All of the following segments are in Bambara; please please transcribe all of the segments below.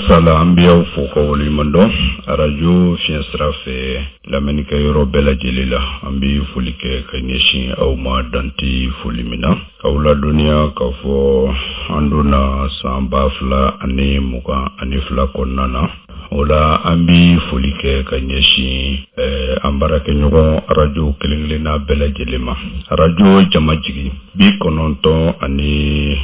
Sala, an bɛ aw fo ka waleɲuman dɔn. Arajo fiɲɛ sira fɛ, lamɛnnikɛ yɔrɔ bɛɛ lajɛlen la, an bɛ foli kɛ ka ɲɛsin aw ma dante foli min na, k'aw ladɔnniya k'a fɔ an donna san 2022 kɔnɔna na. O la, an bɛ foli kɛ ka ɲɛsin an baarakɛɲɔgɔn arajo kelen-kelenna bɛɛ lajɛlen ma. Arajo Jamajigi, 96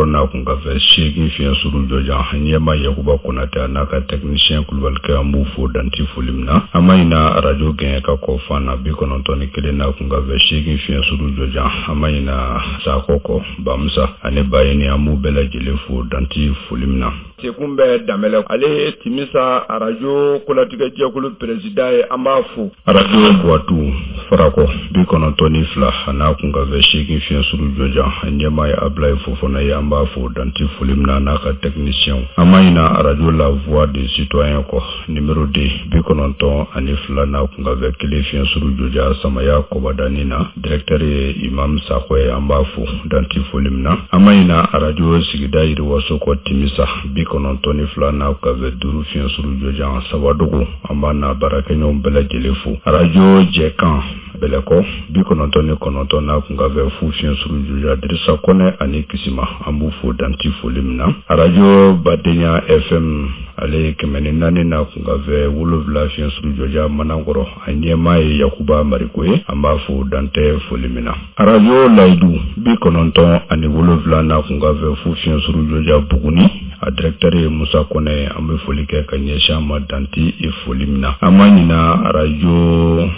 n'a kunkanfɛ 8 fiɲɛ suru jɔjan, ɲɛma Yakuba Konatɛ a n'a ka technicien Kulubalikɛ, an b'u fo danti foli min na. An ma ɲina arajo Gɛɲɛka kɔ fan na, 91 n'a kunkanfɛ 8 fiɲɛ suru jɔjan. An ma ɲina Sakɔ kɔ, Bamusa ani Bayini, an b'u bɛɛ lajɛlen fo danti foli min na. Sekun bɛ Danbɛlɛ, ale ye Timisa arajo kolatigɛjɛkulu président ye, an b'a fo. Arajo Buwatu Farakɔ, 92 a n'a kunkanfɛ 8 fiɲɛ suru jɔjan, ɲɛmaa ye Abulayi Fofana ye, an b'a fo danti foli min na n'a ka technicien. An ma ɲina arajo La Voix du Citoyen kɔ, numéro 2, 92 n'a kunkanfɛ 1 fiɲɛ suru jɔjan, Samaya Kɔbadani na, directeur ye Imam Sakɔ ye, an b'a fo danti foli min na. An ma ɲina arajo sigida yiriwaso kɔ, Timisa, 92 n'a kunkanfɛ 5 fiɲɛ suru jɔjan, Sabadogo, an b'a n'a baarakɛɲɔgɔn bɛɛ lajɛlen fo. Arajo Jɛkan Bɛlɛkɔ, 99 n'a kunkanfɛ 0 fiɲɛ suru jɔjan, Dirisa Kɔnɛ ani Kisima, an b'u fo danti foli min na. Arajo Badenya FM, ale ye 104 n'a kunkanfɛ 7 fiɲɛ suru jɔjan, Manankɔrɔ, a ɲɛmaa ye Yakuba Mariko ye, an b'a fo dantɛ foli min na. Arajo Layidu, 97 n'a kunkanfɛ 0 fiɲɛ suru jɔjan, Buguni, a directeur ye Musa Kɔnɛ ye, an bɛ foli kɛ ka ɲɛsin a ma danti foli min na. An ma ɲina arajo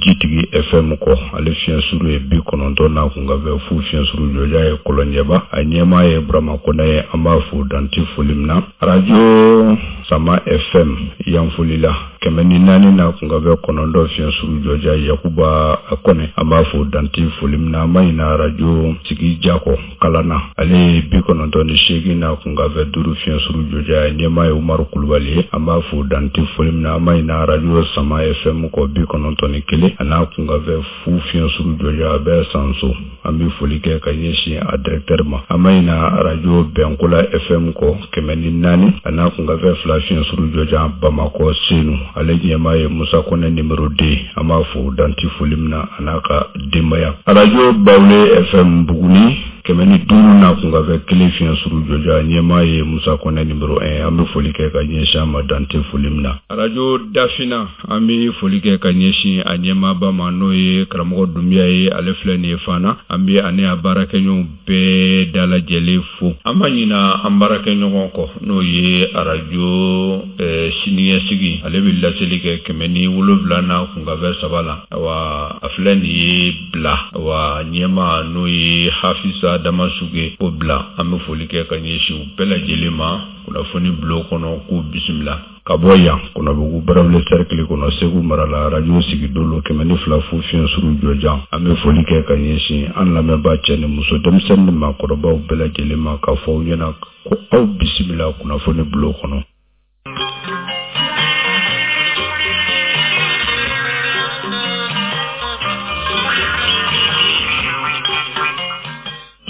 Jitigi FM kɔ, ale fiɲɛ suru ye 90 n'a kunkanfɛ 0 fiɲɛ suru jɔjan ye Kɔlɔnjɛba, a ɲɛmaa ye Burama Kɔnɛ ye, an b'a fo danti foli min na. Arajo Sama FM Yanfolila, 104 n'a kunkanfɛ 9 fiɲɛ suru jɔjan, Yakuba Kɔnɛ, an b'a fo danti foli min na. An ma ɲina arajo Sigi Jakɔ Kalana, ale ye 98 n'a kunkanfɛ 5 fiɲɛ suru jɔjan, ɲɛmaa ye Umaru Kulubali ye, an b'a fo danti foli min na. An ma ɲina arajo Sama FM kɔ, 91 a n'a kunkanfɛ 0 fiɲɛ suru jɔjan, a bɛ Sanso, an bɛ foli kɛ ka ɲɛsin a directeur ma. An ma ɲina arajo Bɛnkola FM kɔ, 104 a n'a kunkanfɛ 2 fiɲɛ suru jɔjan, Bamakɔ Senu, ale ɲɛmaa ye Musa Kɔnɛ numéro 2, an b'a fo danti foli min na a n'a ka denbaya. Arajo Bawule FM Buguni, 105 n'a kunkanfɛ 1 fiɲɛ suru jɔjan, ɲɛmaa ye Musa Kɔnɛ numéro 1, an bɛ foli kɛ ka ɲɛsin a ma dante foli min na. Arajo Dafina, an bɛ foli kɛ ka ɲɛsin a ɲɛmaaba ma, n'o ye karamɔgɔ Dunbiya ye, ale filɛ nin ye Fana, an bɛ ani a baarakɛɲɔgɔnw bɛɛ dalajɛlen fo. An ma ɲina an baarakɛɲɔgɔn kɔ, n'o ye arajo siniɲɛsigi, ale bɛ laseli kɛ 107 n'a kunkanfɛ 3 la. Awa, a filɛ nin ye bila, awa ɲɛmaa n'o ye Hafisa Damasuge o bila. An bɛ foli kɛ ka ɲɛsin u bɛɛ lajɛlen ma kunnafoni bulon kɔnɔ, k'u bisimila. Ka bɔ yan Kɔnɔbugu Barawuli cercle kɔnɔ, Segu mara la, arajo Sigidolo 102 fu fiɲɛ suru jɔjan, an bɛ foli kɛ ka ɲɛsin an lamɛnbaa cɛ ni muso, denmisɛnnin ni maakɔrɔbaw bɛɛ lajɛlen ma, k'a fɔ aw ɲɛna ko aw bisimila kunnafoni bulon kɔnɔ.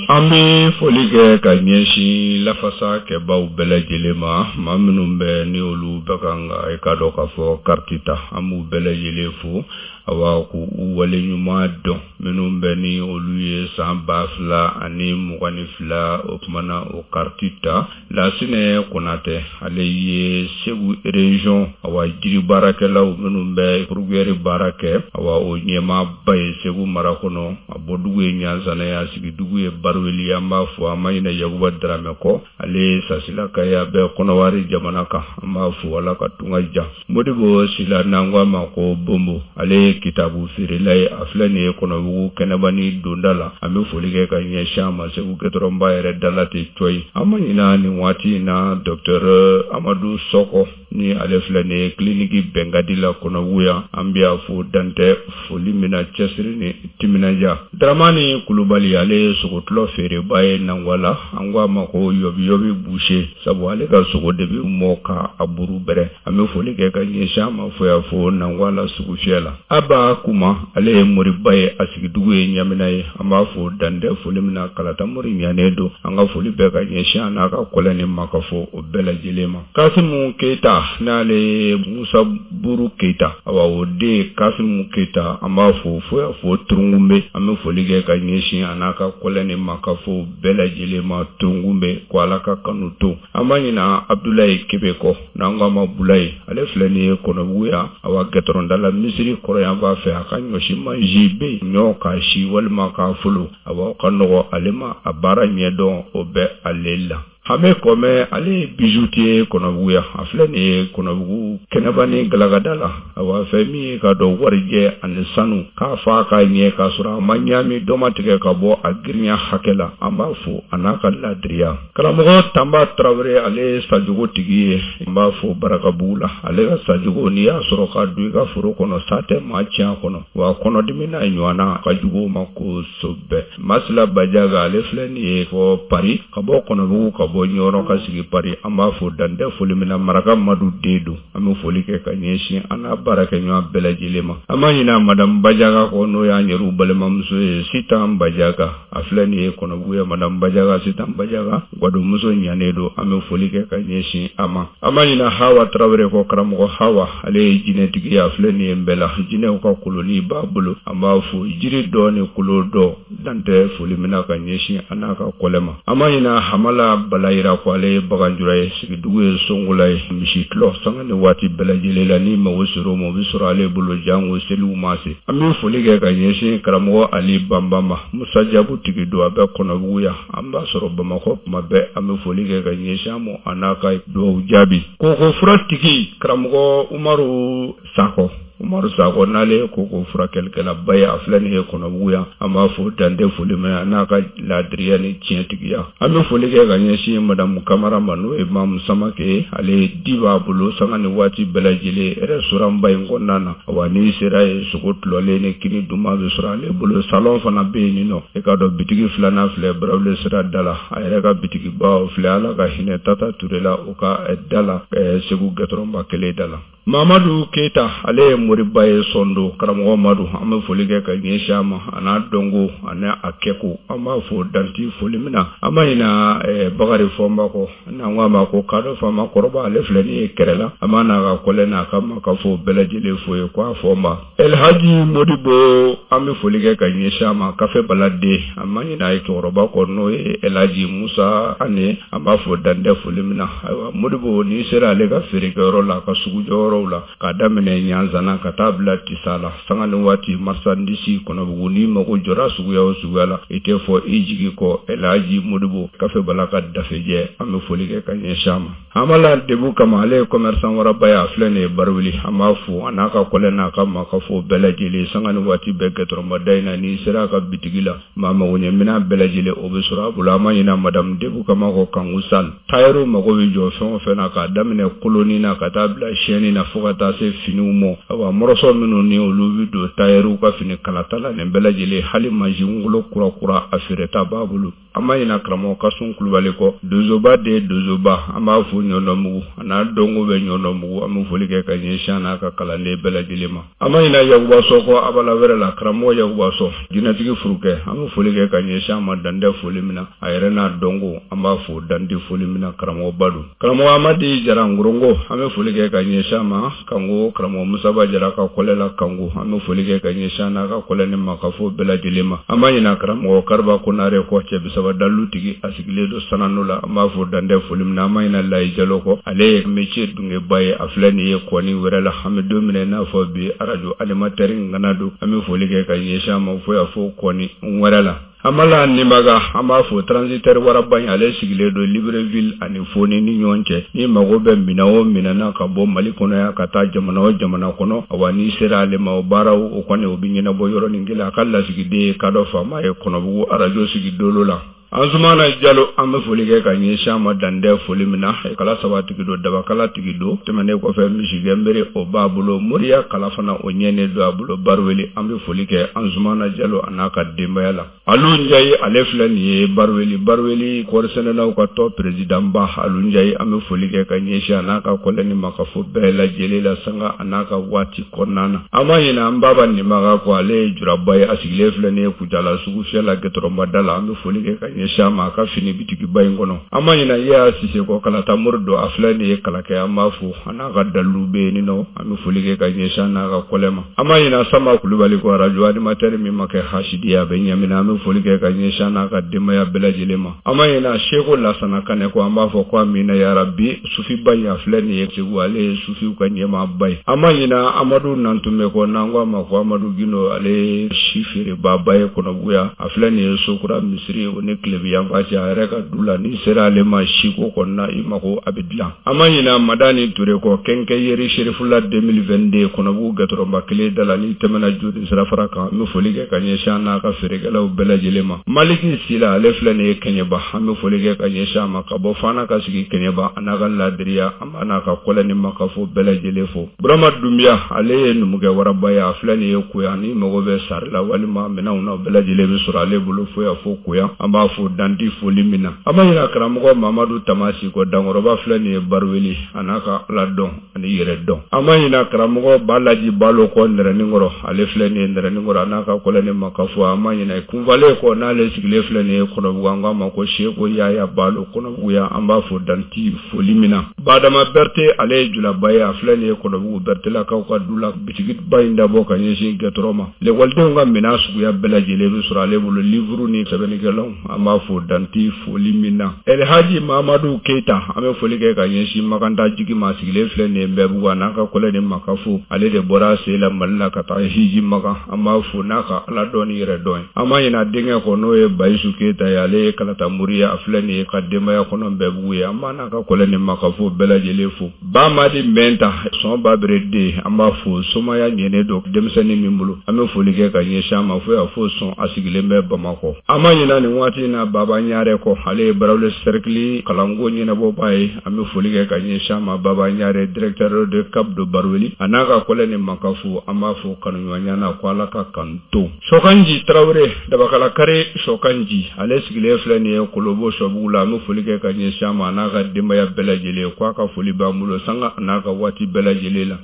An bɛ foli kɛ ka ɲɛsin lafasa kɛbaw bɛɛ lajɛlen ma, maa minnu bɛ ni olu bɛ kan ka i k'a dɔn k'a fɔ kariti ta, an b'u bɛɛ lajɛlen fo, awa k'u waleɲuman dɔn, minnu bɛ ni olu ye san 2022 o tuma na o kariti ta. Lasinɛ Konatɛ, ale ye Segu région, awa jiri baarakɛlaw minnu bɛ fourrière baara kɛ, awa o ɲɛmaaba ye Segu mara kɔnɔ, a bɔdugu ye Ɲanzana ye, a sigidugu ye Baruweli. An b'a fo, an ma ɲinɛ Yakuba Daramɛ kɔ, ale ye Sasilaka ye, a bɛ Kɔnɔwari jamana kan, an b'a fo, Ala ka tunga diya. Modibo Sila, n'an ko a ma ko Bonbo, ale ye kitabu feerela ye, a filɛ nin ye Kɔnɔbugu kɛnɛbani donda la, an bɛ foli kɛ ka ɲɛsin a ma Segu gɛtɔrɔnba yɛrɛ da la ten cɔyi. An ma ɲinɛ nin waati in na docteur Amadu Sɔkɔ. Ni ale filɛ nin ye kiliniki Bɛnkadi la Kɔnɔbugu yan, an bɛ a fo dantɛ foli min na cɛsiri ni timinandiya. Daramani Kulubali, ale ye sogotulɔ feereba ye Nangwala, an ko a ma ko yɔbi-yɔbi boucher, sabu ale ka sogo de bɛ mɔ ka a buru bɛrɛ. An bɛ foli kɛ ka ɲɛsin a ma fo yan fo Nangwala sugufiyɛ la. Aba Kuma, ale ye moriba ye, a sigidugu ye Ɲamina ye. An b'a fo dantɛ foli min na, kalata mori ɲanen don. An ka foli bɛɛ ka ɲɛsin a n'a ka kɔlɛ ni makafo o bɛɛ lajɛlen ma. Kasimu Keyita, n'ale ye Musa Buru Keyita, awa o den Kasimu Keyita, an b'a fo fo yan fo Turungunbe. An bɛ foli kɛ ka ɲɛsin a n'a ka kɔlɛ ni makafo bɛɛ lajɛlen ma Turungunbe, ko Ala ka kanu to. An ma ɲina Abdulayi Kebe kɔ, n'an ko a ma Bulayi, ale filɛ nin ye Kɔnɔbugu yan, awa gɛtɔrɔnda la misiri kɔrɔyanfan fɛ, a ka ɲɔsi mansin bɛ yen, ɲɔ k'a si walima k'a folo, awa o ka nɔgɔ ale ma, a baara ɲɛdɔn o bɛ ale la. Hame Kɔmɛ, ale ye bijoutier ye Kɔnɔbugu yan, a filɛ nin ye Kɔnɔbugu kɛnɛba ni galagada la, awa fɛn min ye ka dɔn warijɛ ani sanu k'a fa k'a ɲɛ k'a sɔrɔ a ma ɲaami dɔ ma tigɛ ka bɔ a girinya hakɛ la, an b'a fo a n'a ka ladiriya. Karamɔgɔ Tanba Tarawele, ale ye sajogo tigi ye, n b'a fo Barakabugu la. Ale ka sajogo, n'i y'a sɔrɔ ka don i ka foro kɔnɔ, sa tɛ maa tiɲɛ a kɔnɔ, wa kɔnɔdimi n'a ɲɔgɔnna ka jugu o ma kosɛbɛ. Masila Bajaga, ale filɛ nin ye fɔ Paris, ka bɔ Kɔnɔbugu, ka bɔ Ɲɔrɔ ka sigi Paris, an b'a fo dantɛ foli min na, Maraka Madu den don. An bɛ foli kɛ ka ɲɛsin an n'a baarakɛɲɔgɔn bɛɛ lajɛlen ma. An ma ɲinɛ Madame Bajaga kɔ, n'o y'an yɛrɛw balimamuso ye, Sitan Bajaga, a filɛ nin ye Kɔnɔbugu ye. Madame Bajaga, Sitan Bajaga, gwadonmuso ɲanen don, an bɛ foli kɛ ka ɲɛsin a ma. An ma ɲinɛ Hawa Tarawele kɔ, karamɔgɔ Hawa, ale ye jinɛtigi ye, a filɛ nin ye Nbɛla, jinɛw ka koloni b'a bolo, an b'a fo jiri dɔ ni kolo dɔ dantɛ foli min na ka ɲɛsin a n'a ka kɔlɛ ma. An ma ɲinɛ Hamala Balayira kɔ, ale ye baganjura ye, sigidugu ye Songola ye, misi tulɔ sanga ni waati bɛɛ lajɛlen la, ni mago sera o ma, o bɛ sɔrɔ ale bolo jango seliw ma se. An bɛ foli kɛ ka ɲɛsin karamɔgɔ Ali Banba ma, Musa Jabu tigi don, a bɛ Kɔnɔbugu yan, an b'a sɔrɔ Bamakɔ tuma bɛɛ. An bɛ foli kɛ ka ɲɛsin a ma a n'a ka dugawu jaabi. Koko fura tigi karamɔgɔ Umaru Sakɔ, Umaru Sakɔ, n'ale ye koko furakɛlikɛlaba ye, a filɛ nin ye Kɔnɔbugu yan, an b'a fo dantɛ foli min na n'a ka laadiriya ni tiɲɛtigiya. An bɛ foli kɛ ka ɲɛsin Madamu Kamara ma, n'o ye Mamu Samake ye, ale ye di b'a bolo sanga ni waati bɛɛ lajɛlen restaurant ba in kɔnɔna na. Wa n'i sera yen, sogo tulɔlen ni kini duman bɛ sɔrɔ ale bolo. Salon fana bɛ yen nɔ, e k'a dɔn bitigi filanan filɛ Barawuli sira da la, a yɛrɛ ka bitigiba filɛ, Ala ka hinɛ Tata Ture la, o ka da la Segu gɛtɔrɔnba kelen da la. Mamadu Keyita, ale ye moriba ye Sɔndo, karamɔgɔ Madu, an bɛ foli kɛ ka ɲɛsin a ma, a n'a dɔnko a n'a a kɛko, an b'a fo danti foli min na. An ma ɲina Bakari Fɔnba kɔ, n'an ko a ma ko kadɔ faama kɔrɔba, ale filɛ nin ye kɛrɛ la, an b'a n'a ka kɔlɛ n'a ka makafo bɛɛ lajɛlen fo ye ko a Fɔnba. Elhaji Modibo, an bɛ foli kɛ ka ɲɛsin a ma, kafe baladen, an ma ɲina a ye cɛkɔrɔba kɔ, n'o ye Elhaji Musa Ane, an b'a fo dantɛ foli min na. Ayiwa Modibo, n'i sera ale ka feerekɛyɔrɔ la, a ka sugujɔyɔrɔw la, k'a daminɛ Ɲanzana ka taa bila Tisa la, sanga ni waati marchandise Kɔnɔbugu, n'i mago jɔra suguya o suguya la, i tɛ fɔ i jigi kɔ. Elhaji Modibo, kafe bala ka dafejɛ, an bɛ foli kɛ ka ɲɛsin a ma. Hamala Debu kama, ale ye commerçant waraba ye, a filɛ nin ye Barawuli, an b'a fo a n'a ka kɔlɛ n'a ka makafo bɛɛ lajɛlen sanga ni waati bɛɛ gɛtɔrɔnba in na. N'i sera a ka bitigi la, maa magoɲɛ minɛn bɛɛ lajɛlen o bɛ sɔrɔ a bolo. An ma ɲinɛ Madame Debu kama kɔ Kanku Sal, tailleur mago bɛ jɔ fɛn o fɛn na, k'a daminɛ koloni na ka taa bila chaîne na fo ka taa se finiw ma, awa mɔrɔsɔ minnu ni olu bɛ don tailleur ka fini kalata la, nin bɛɛ lajɛlen, hali mansin kolo kura kura a feereta b'a bolo. An ma ɲina karamɔgɔ Kasum Kulubali kɔ, donsoba de ye donsoba, an b'a fo Ɲɔndɔnbugu, a n'a dɔnko bɛ Ɲɔndɔnbugu, an bɛ foli kɛ ka ɲɛsin a n'a ka kalanden bɛɛ lajɛlen ma. An ma ɲina Yakuba Sɔ kɔ abala wɛrɛ la, karamɔgɔ Yakuba Sɔ, jinɛtigi furukɛ, an bɛ foli kɛ ka ɲɛsin a ma dantɛ foli min na, a yɛrɛ n'a dɔnko, an b'a fo dantɛ foli min na, karamɔgɔba don. Karamɔgɔ Amadi Jara Ngorongo, an bɛ foli kɛ ka ɲɛsin a ma Kanko, karamɔgɔ Musaba Jara ka kɔlɛ la Kanko, an bɛ foli kɛ ka ɲɛsin a n'a ka kɔlɛ ni makafo bɛɛ lajɛlen ma. An ma ɲina karamɔgɔ Kariba Konare kɔ, cɛ bisaba dalilu tigi, a sigilen don Sanano la, an b'a fo dantɛ foli min na. An ma ɲina Layi Jalo kɔ, ale ye métier dungeba ye, a filɛ nin ye kɔni wɛrɛ la, an bɛ don min na i n'a fɔ bi, arajo animateur ŋana don, an bɛ foli kɛ ka ɲɛsin a ma fo yan fo kɔni wɛrɛ la. Amala Nimaga, an b'a fo transitaire waraba in, ale sigilen don Libreville ani Foni ni ɲɔgɔn cɛ. N'i mago bɛ minɛn o minɛn na ka bɔ Mali kɔnɔ yan ka taa jamana o jamana kɔnɔ, awa n'i sera ale ma, o baaraw o kɔni o bɛ ɲɛnabɔ yɔrɔnin kelen. A ka lasigiden ye kadɔ faama ye Kɔnɔbugu arajo sigi dolo la. Anzumana Jalo, an bɛ foli kɛ ka ɲɛsin a ma dantɛ foli min na. Kala saba tigi don, dabakala tigi don. Tɛmɛnen kɔfɛ, misigɛnbere o b'a bolo, moriya kala fana o ɲɛnen don a bolo. Baruweli, an bɛ foli kɛ Anzumana Jalo a n'a ka denbaya la. Alu Njayi, ale filɛ nin ye Baruweli. Baruweli kɔɔrisɛnɛnaw ka tɔn perezidanba Alu Njayi, an bɛ foli kɛ ka ɲɛsin a n'a ka kɔlɛni ma ka fɔ bɛɛ lajɛlen la sanga a n'a ka waati kɔnɔna na. An ma ɲinɛ an baba Nimaga kɔ, ale ye juraba ye, a sigilen filɛ nin ye Kucala sugu fiyɛ la gɛtɔrɔnbada la. An bɛ foli kɛ ka ɲɛsin a ma a ka fini bitigiba in kɔnɔ. An ma ɲinɛ Yaya Sise kɔ, kalata mori don, a filɛ nin ye Kalakɛ, an b'a fo a n'a ka dalilu bɛ yen nɔ. An bɛ foli kɛ ka ɲɛsin a n'a ka kɔlɛ ma. An ma ɲinɛ Sama Kulubali kɔ, arajo animateur min ma kɛ hasidi ye, a bɛ ɲɛminɛ. An bɛ foli kɛ ka ɲɛsin a n'a ka denbaya bɛɛ lajɛlen ma. An ma ɲinɛ Seko Lasana Kanɛ kɔ, an b'a fɔ ko amina yarabi. Sufiba in, a filɛ nin ye Segu, ale ye sufiw ka ɲɛmaaba ye. An ma ɲinɛ Amadu Nantunme kɔ, n'an ko a ma ko Amadu Gindo, ale ye si feerebaaba ye Kɔnɔbugu. A filɛ nin ye Sokura misiri o ni tilebi yanfan cɛ, a yɛrɛ ka du la. N'i sera ale ma siko kɔnɔna, i mako a bɛ dilan. An ma ɲinɛ Madani Ture kɔ, kɛnkɛyeri Serifula 2022 Kɔnɔbugu gɛtɔrɔnba kelen da la, n'i tɛmɛna joli sirafara kan. An bɛ foli kɛ ka ɲɛsin a n'a ka feerekɛlaw bɛɛ lajɛlen ma. Maliki Sila, ale filɛ nin ye Kɛɲɛba, an bɛ foli kɛ ka ɲɛsin a ma ka bɔ Fana ka sigi Kɛɲɛba, a n'a ka ladiriya, an b'a n'a ka kɔlɛ ni makafo bɛɛ lajɛlen fo. Burama Dunbiya, ale ye numukɛ waraba ye, a filɛ nin ye Koya. Ni mago bɛ sari la walima minɛnw na, bɛɛ lajɛlen bɛ sɔrɔ ale bolo fo yan fo Koya. An b'a fo danti foli min na. An ma ɲinɛ karamɔgɔ Mamadu Tamasi kɔ, dankɔrɔba filɛ nin ye Baruweli, a n'a ka ala dɔn ani yɛrɛ dɔn. An ma ɲinɛ karamɔgɔ Balaji Balo kɔ Nɛrɛninkɔrɔ, ale filɛ nin ye Nɛrɛninkɔrɔ, a n'a ka kɔlɛ ni makafo. An ma ɲinɛ kunfalen kɔ, n'ale sigilen filɛ nin ye Kɔnɔbugu, an k'a ma ko Seko Yaya Balo Kɔnɔbugu yan. An b'a fo danti foli min na. Badama Berete, ale ye julaba ye, a filɛ nin ye Kɔnɔbugu Bertelakaw ka du la, bitigiba in dabɔ ka ɲɛsin gɛtɔrɔ ma. Lekɔlidenw ka minɛn suguya bɛɛ lajɛlen bɛ sɔrɔ ale bolo, livuru ni sɛbɛnnikɛlanw. An b'a fo danti foli min na. Elhaji Mamadu Keyita, an bɛ foli kɛ ka ɲɛsin Makanta jigi ma, sigilen filɛ nin ye Nbɛbugu, a n'a ka kɔlɛ ni makafo. Ale de bɔra a sen la Mali la ka taa hiji Makan. An b'a fo n'a ka ala dɔn ni yɛrɛ dɔn ye. An ma ɲinɛ denkɛ kɔ, n'o ye Bayisu Keyita ye, ale ye kalata mori ye, a filɛ nin ye ka denbaya kɔnɔ Nbɛbugu ye. An b'a n'a ka kɔlɛ ni makafo bɛɛ lajɛlen fo. Ba Madi Mɛnta, sɔn babere den, an b'a fo. Somaya ɲɛnen don denmisɛnnin min bolo, an bɛ foli kɛ ka ɲɛsin a ma fo y'a fo sɔn, a sigilen bɛ Bamakɔ. An ma ɲinɛ nin waati in na Baba Ɲare kɔ, ale ye Barawuli cercle kalanko ɲɛnabɔbaa ye. An bɛ foli kɛ ka ɲɛsin a ma. Baba Ɲare, directeur de CAP de Barawuli, a n'a ka kɔlɛ ni makafo, an b'a fo kanuɲɔgɔnya na ko Ala ka kanu to. Sɔkanji Tarawele, dabakala kari Sɔkanji, ale sigilen filɛ nin ye Kolobo Sɔbugu la. An bɛ foli kɛ ka ɲɛsin a ma, a n'a ka denbaya bɛɛ lajɛlen, ko a ka foli b'an bolo sanga a n'a ka waati bɛɛ lajɛlen la.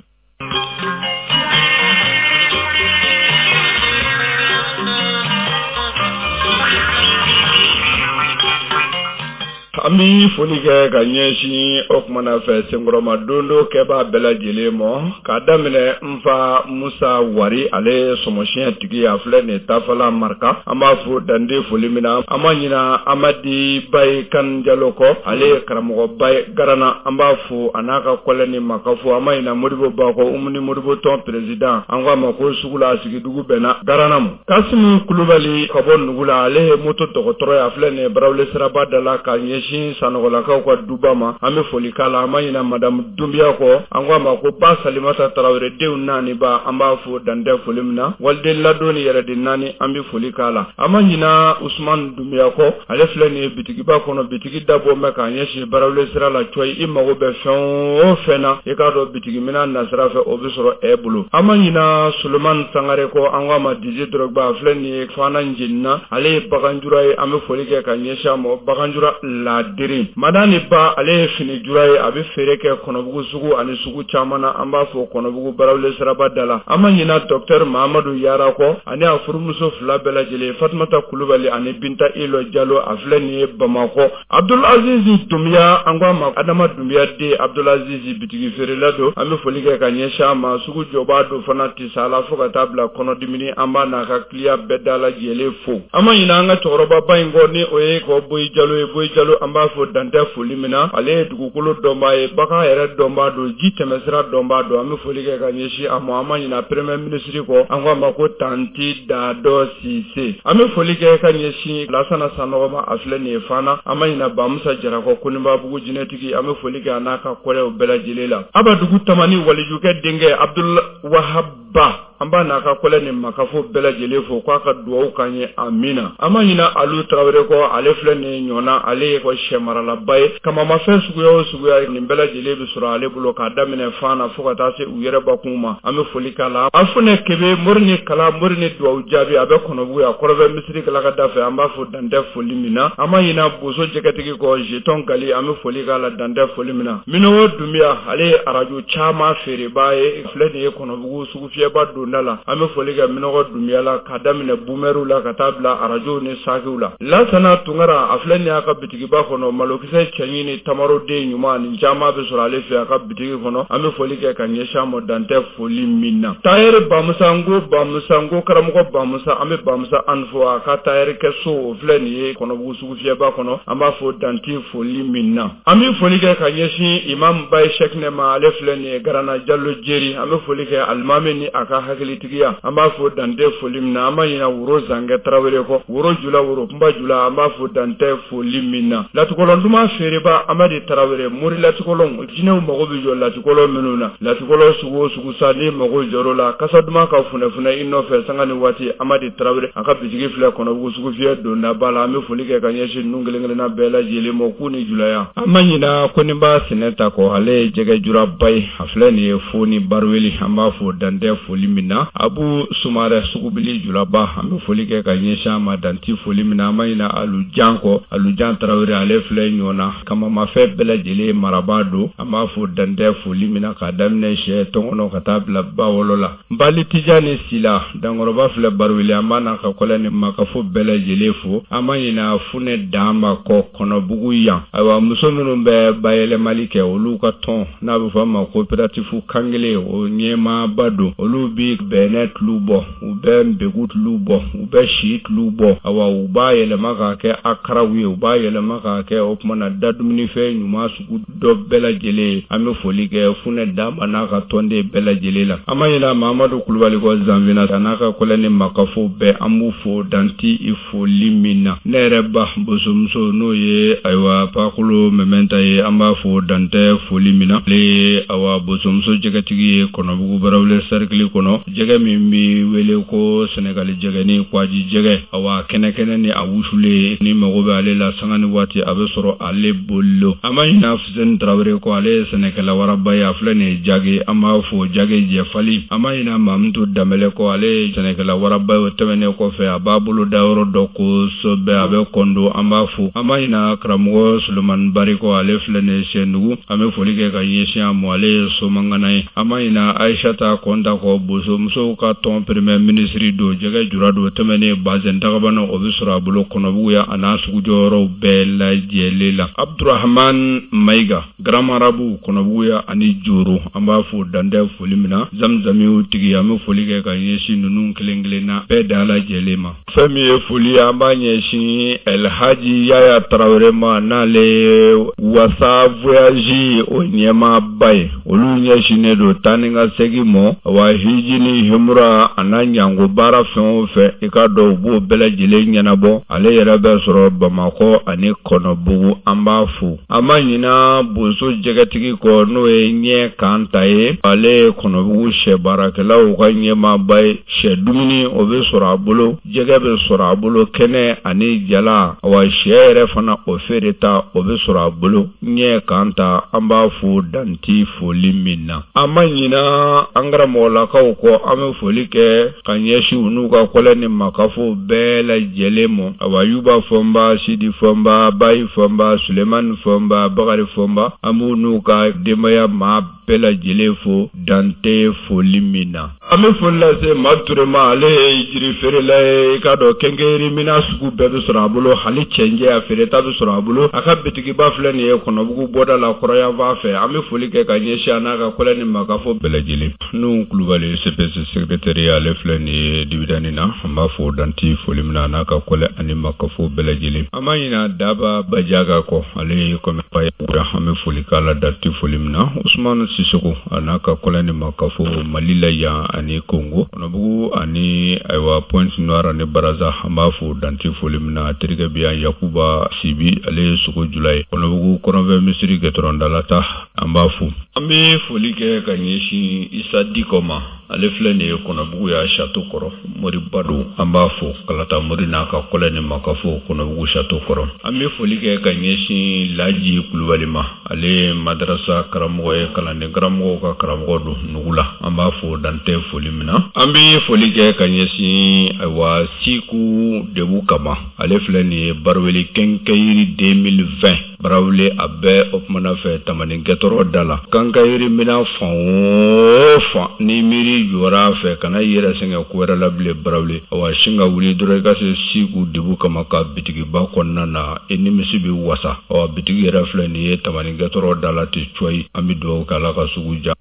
An bɛ foli kɛ ka ɲɛsin o kumana fɛ senkɔrɔma dondo kɛbaa bɛɛ lajɛlen ma, k'a daminɛ n fa Musa Wari, ale ye sɔmɔsiyɛn tigi, a filɛ nin Tafala Marika. An b'a fo dande foli min na. An ma ɲina Amadi Baye Kan Jalo kɔ, ale ye karamɔgɔba ye Garana. An b'a fo a n'a ka kɔlɛ ni makafo. An ma ɲina Modibo Ba kɔ, Umuni Modibo tɔn président, an ko a ma ko sugu la, a sigidugu bɛnna Garana ma. Kasimu Kulubali ka bɔ Nugu la, ale ye moto dɔgɔtɔrɔ ye, a filɛ nin ye Barawuli siraba da la ka ɲɛsin Sanɔgɔlakaw ka duba ma. An bɛ foli k'a la. An ma ɲina madamu Dunbiya kɔ, an ko a ma ko ba Salimata Tarawele, denw naani ba, an b'a fo dantɛ foli min na. Waliden ladon ni yɛrɛden naani, an bɛ foli k'a la. An ma ɲina Usumani Dunbiya kɔ, ale filɛ nin ye bitigiba kɔnɔ, bitigi dabɔ mɛn k'a ɲɛsin Barawuli sira la cɔyi. I mago bɛ fɛn o fɛn na, i k'a dɔn bitigi minɛn nasira fɛ, o bɛ sɔrɔ e bolo. An ma ɲina Sulemani Sangare kɔ, an ko a ma Didier Drogba, a filɛ nin ye Fana Njenina, ale ye baganjura ye. An bɛ foli kɛ ka ɲɛsin a ma, baganjura ladiri. Madani Ba, ale ye finijura ye, a bɛ feere kɛ Kɔnɔbugu sugu ani sugu caman na. An b'a fɔ Kɔnɔbugu Barawuli siraba da la. An ma ɲina docteur Mahamadu Yara kɔ, ani a furumuso fila bɛɛ lajɛlen, Fatumata Kulubali ani Binta Ilo Jalo, a filɛ nin ye Bamakɔ. Abdul Aziz Dunbiya, an ko a ma Adama Dunbiya den Abdul Aziz, bitigi feerela don. An bɛ foli kɛ ka ɲɛsin a ma. Sugu jɔbaa don fana tisala fo ka taa bila kɔnɔdimini. An b'a n'a ka kiliyan bɛɛ da lajɛlen fo. An ma ɲinɛ an ka cɛkɔrɔbaba in kɔ, ni o ye kɔ Boyi Jalo ye. Boyi Jalo, an b'a fo dantɛ foli min na. Ale ye dugukolo dɔnbaa ye, bagan yɛrɛ dɔnbaa don, ji tɛmɛsira dɔnbaa don. An bɛ foli kɛ ka ɲɛsin a ma. An ma ɲinɛ premier ministre kɔ, an ko a ma ko Tanti Dadɔ Sise. An bɛ foli kɛ ka ɲɛsin Lasana Sanɔgɔ ma, a filɛ nin ye Fana. An ma ɲinɛ Bamusa Jara kɔ, Konibabugu jinɛtigi. An bɛ foli kɛ a n'a ka kɔlɛw bɛɛ lajɛlen la. Abadugu Tamani walijukɛ denkɛ Abdul Wahab Ba. An b'a n'a ka kɔlɛ ni makafo bɛɛ lajɛlen fo k'a ka dugawu k'an ye, amina. An ma ɲina Alu Tarawele kɔ, ale filɛ nin ɲɔgɔnna, ale ye fɔ sɛmaralaba ye. Kamamafɛn suguya o suguya, nin bɛɛ lajɛlen bɛ sɔrɔ ale bolo k'a daminɛ fan na fo ka taa se u yɛrɛ bakun ma. An bɛ foli k'a la. A funɛ kebe mori ni kala mori ni dugawu jaabi, a bɛ Kɔnɔbugu yan kɔrɔfɛ misiri kala ka da fɛ. An b'a fo dantɛ foli min na. An ma ɲina boso jɛgɛtigi kɔ, jeton gali, an bɛ foli k'a la dantɛ foli min na. Minɔgɔ Dunbiya, ale ye arajo caman feerebaa ye, filɛ nin ye Kɔnɔbugu sugufiyɛba donda la. An bɛ foli kɛ Minɔgɔ Dunbiya la k'a daminɛ bumɛriw la ka taa bila arajow ni sakiw la. Lasana Tunkara, a filɛ nin y'a ka bitigiba kɔnɔ, malokisɛ cɛɲi ni tamaroden ɲuman, nin caman bɛ sɔrɔ ale fɛ a ka bitigi kɔnɔ. An bɛ foli kɛ ka ɲɛsin a ma dantɛ foli min na. Tayɛri Bamusa, n ko Bamusa, n ko karamɔgɔ Bamusa, an bɛ Bamusa an fo a ka tayɛri kɛ so, o filɛ nin ye Kɔnɔbugu sugufiyɛba kɔnɔ. An b'a fo danti foli min na. An bɛ foli kɛ ka ɲɛsin Imam Baye Sɛkinɛ ma, ale filɛ nin ye Garana Jalo Jeri. An bɛ foli kɛ alimami ni a ka hakilitigiya, an b'a fo dantɛ foli min na. An b'a ɲina Woro Zankɛ Tarawele kɔ, Woro Jula, Woro Kunba Jula, an b'a fo dantɛ foli min na. Latikɔlɔn duman feereba Amadi Tarawele, mori latikɔlɔn, jinɛw mago bɛ jɔ latikɔlɔn minnu na, latikɔlɔn sugu o sugu sa, n'i mago jɔr'o la, kasa duman ka funɛfunɛ i nɔfɛ sanga ni waati. Amadi Tarawele, a ka bitigi filɛ Kɔnɔbugu sugufiyɛ dondaba la. An bɛ foli kɛ ka ɲɛsin ninnu kelen kelenna bɛɛ lajɛlen ma k'u ni julaya. An ma ɲina Koninba Sinɛnta kɔ, ale ye jɛgɛ juraba ye, a filɛ nin ye fo ni Baruweli, an b'a fo dantɛ foli min na. Abu Sumarɛ Sugubili Julaba, an bɛ foli kɛ ka ɲɛsin a ma danti foli min na. An ma ɲina Alujan kɔ, Alujan Tarawele, ale filɛ ɲɔgɔnna kamamafɛn bɛɛ lajɛlen marabaa don. An b'a fo dantɛ foli min na k'a daminɛ sɛ tɔnkɔnɔ ka taa bila bawolo la. Bali Tijani Sila Dankɔrɔba filɛ Baruwele, an b'a n'a ka kɔlɛ ni makafo bɛɛ lajɛlen fo. An ma ɲina Funɛ Danba kɔ Kɔnɔbugu yan. Ayiwa, muso minnu bɛ bayɛlɛmali kɛ, olu ka tɔn n'a bɛ fɔ a ma coopérative Kankelen, o ɲɛmaaba don. Olu bi bɛnɛ tulu bɔ, u bɛ nbɛgu tulu bɔ, u bɛ si tulu bɔ. Awa, u b'a yɛlɛma k'a kɛ akaraw ye, u b'a yɛlɛma k'a kɛ o tuma na dadumunifɛn ɲuman sugu dɔ bɛɛ lajɛlen. An bɛ foli kɛ Funɛ Danba n'a ka tɔnden bɛɛ lajɛlen la. An ma ɲina Mamadu Kulubali kɔ Zanfina, a n'a ka kɔlɛ ni makafo bɛɛ, an b'u fo danti i foli min na. Ne yɛrɛ ba bosomuso, n'o ye ayiwa Pakolo Mɛmɛnta ye, an b'a fo dantɛ foli min na. Ale ye awa bosomuso jɛgɛtigi ye Kɔnɔbugu Barawele sarikili kɔnɔ, jɛgɛ min bɛ wele ko Sɛnɛgali jɛgɛni, kwaji jɛgɛ, awa kɛnɛkɛnɛ ni a wusulen, ni mago bɛ ale la sanga ni waati, a bɛ sɔrɔ ale bolo. An ma ɲina Fuseni Tarawele kɔ, ale ye sɛnɛkɛla waraba ye, a filɛ nin ye Jage, an b'a fo Jage Jɛfali. An ma ɲina Mamutu Danbɛlɛ kɔ, ale ye sɛnɛkɛla waraba ye. O tɛmɛnen kɔfɛ, a b'a bolo da yɔrɔ dɔ kosɛbɛ, a bɛ Kɔndo, an b'a fo. An ma ɲina karamɔgɔ Solomani Bari kɔ, ale filɛ nin ye Sɛndugu, an bɛ foli kɛ ka ɲɛsin a ma, ale ye somangana ye. An ma ɲina Ayisata Kɔnta kɔ, bosomusow ka tɔn premier ministre don, jɛgɛ jura don. O tɛmɛnen, bazɛn dagabana, o bɛ sɔrɔ a bolo Kɔnɔbugu yan, a n'a sugujɔyɔrɔw bɛɛ lajɛlen la. Abdurahman Mayiga, grand marabout Kɔnɔbugu yan ani Joro, an b'a fo dantɛ foli min na. Zamzamiw tigi, an bɛ foli kɛ ka ɲɛsin ninnu kelen kelenna bɛɛ da lajɛlen ma. Fɛn min ye foli ye, an b'a ɲɛsin Elhaji Yaya Tarawele ma, n'ale ye Wasa Voyage o ɲɛmaaba ye. Olu ɲɛsinnen don taa ni ka segin mɔ, wa hiji ni humura a n'a ɲango baara fɛn o fɛn, i k'a dɔn u b'o bɛɛ lajɛlen ɲɛnabɔ. Ale yɛrɛ bɛ sɔrɔ Bamakɔ ani Kɔnɔbugu, an b'a fo. An ma ɲina boso jɛgɛtigi kɔ, n'o ye ɲɛ kan ta ye. Ale ye Kɔnɔbugu sɛ baarakɛlaw ka ɲɛmaaba ye. Sɛ dumuni o bɛ sɔrɔ a bolo, jɛgɛ bɛ sɔrɔ a bolo kɛnɛ ani jala, wa sɛ yɛrɛ fana o feereta o bɛ sɔrɔ a bolo. Ɲɛ kan ta, an b'a fo danti foli min na. An ma ɲina an karamɔgɔlakaw kɔ, an bɛ foli kɛ ka ɲɛsin u n'u ka kɔlɛ ni makafo bɛɛ lajɛlen ma. Awa, Yuba Fɔnba, Sidi Fɔnba, Bayi Fɔnba, Sulemani Fɔnba, Bakari Fɔnba, an b'u n'u ka denbaya maa bɛɛ lajɛlen fo dante foli min na. An bɛ foli lase Ma Ture ma, ale ye jiri feerela ye. I k'a dɔn kɛnkɛyiri minan sugu bɛɛ bɛ sɔrɔ a bolo, hali cɛncɛn a feereta bɛ sɔrɔ a bolo. A ka bitigiba filɛ nin ye Kɔnɔbugu bɔda la kɔrɔyanfan fɛ. An bɛ foli kɛ ka ɲɛsin a n'a ka kɔlɛ ni makafo bɛɛ lajɛlen. Nuhu Kulubali CPC secrétaire, ale filɛ nin ye Dibidani na, an b'a fo danti foli min na, a n'a ka kɔlɛ ani makafo bɛɛ lajɛlen. An ma ɲina Daba Bajaga kɔ, ale ye kɔmɛ ye, an bɛ foli k'a la danti foli min na. Usumani Sisoko a n'a ka kɔlɛ ni makafo Mali la yan ani Kongo, Kɔnɔbugu ani ayiwa Pointe Noire ani Baraza, an b'a fo danti foli min na. A terikɛ bɛ yan Yakuba Sibi, ale ye sogo jula ye Kɔnɔbugu kɔrɔnfɛ misiri gɛtɔrɔndala ta, an b'a fo. An bɛ foli kɛ ka ɲɛsin Isa Dikɔ ma. Ale filɛ nin ye Kɔnɔbugu ya château kɔrɔ, moriba don, an b'a fo Kalata mori n'a ka kɔlɛ ni makafo Kɔnɔbugu château kɔrɔ. An bɛ foli kɛ ka ɲɛsin Laji Kulubali ma, ale ye madarasa karamɔgɔ ye, kalanden karamɔgɔw ka karamɔgɔ don nugu la, an b'a fo dantɛ foli min na. An bɛ foli kɛ ka ɲɛsin ayiwa Siku Debu Kama, ale filɛ nin ye Baraweli quincaillerie 2020 Barawele, a bɛɛ o kumana fɛ Tamani gɛtɔrɔ da la. Quincaillerie minɛn fan o fan ni miiri jɔra a fɛ, kana i yɛrɛ sɛgɛn ko wɛrɛ la bilen Barawele. Awa sin ka wuli dɔrɔn i ka se Siku Debu Kama ka bitigiba kɔnɔna na, i nimisi bɛ wasa. Awa bitigi yɛrɛ filɛ nin ye Tamani gɛtɔrɔ da la ten cɔyi. An bɛ dugawu kɛ Ala ka sugu diya.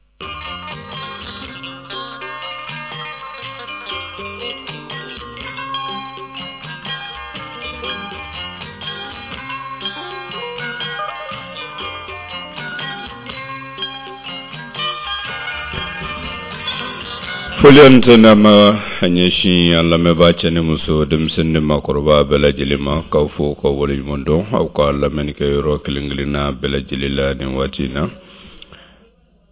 Foli ani tanu ma a ɲɛsin an lamɛnbaa cɛ ni muso, denmisɛnnin ni maakɔrɔba bɛɛ lajɛlen ma, k'aw fo k'aw waleɲuman dɔn aw ka lamɛnni kɛ yɔrɔ kelen kelenna bɛɛ lajɛlen la nin waati in na.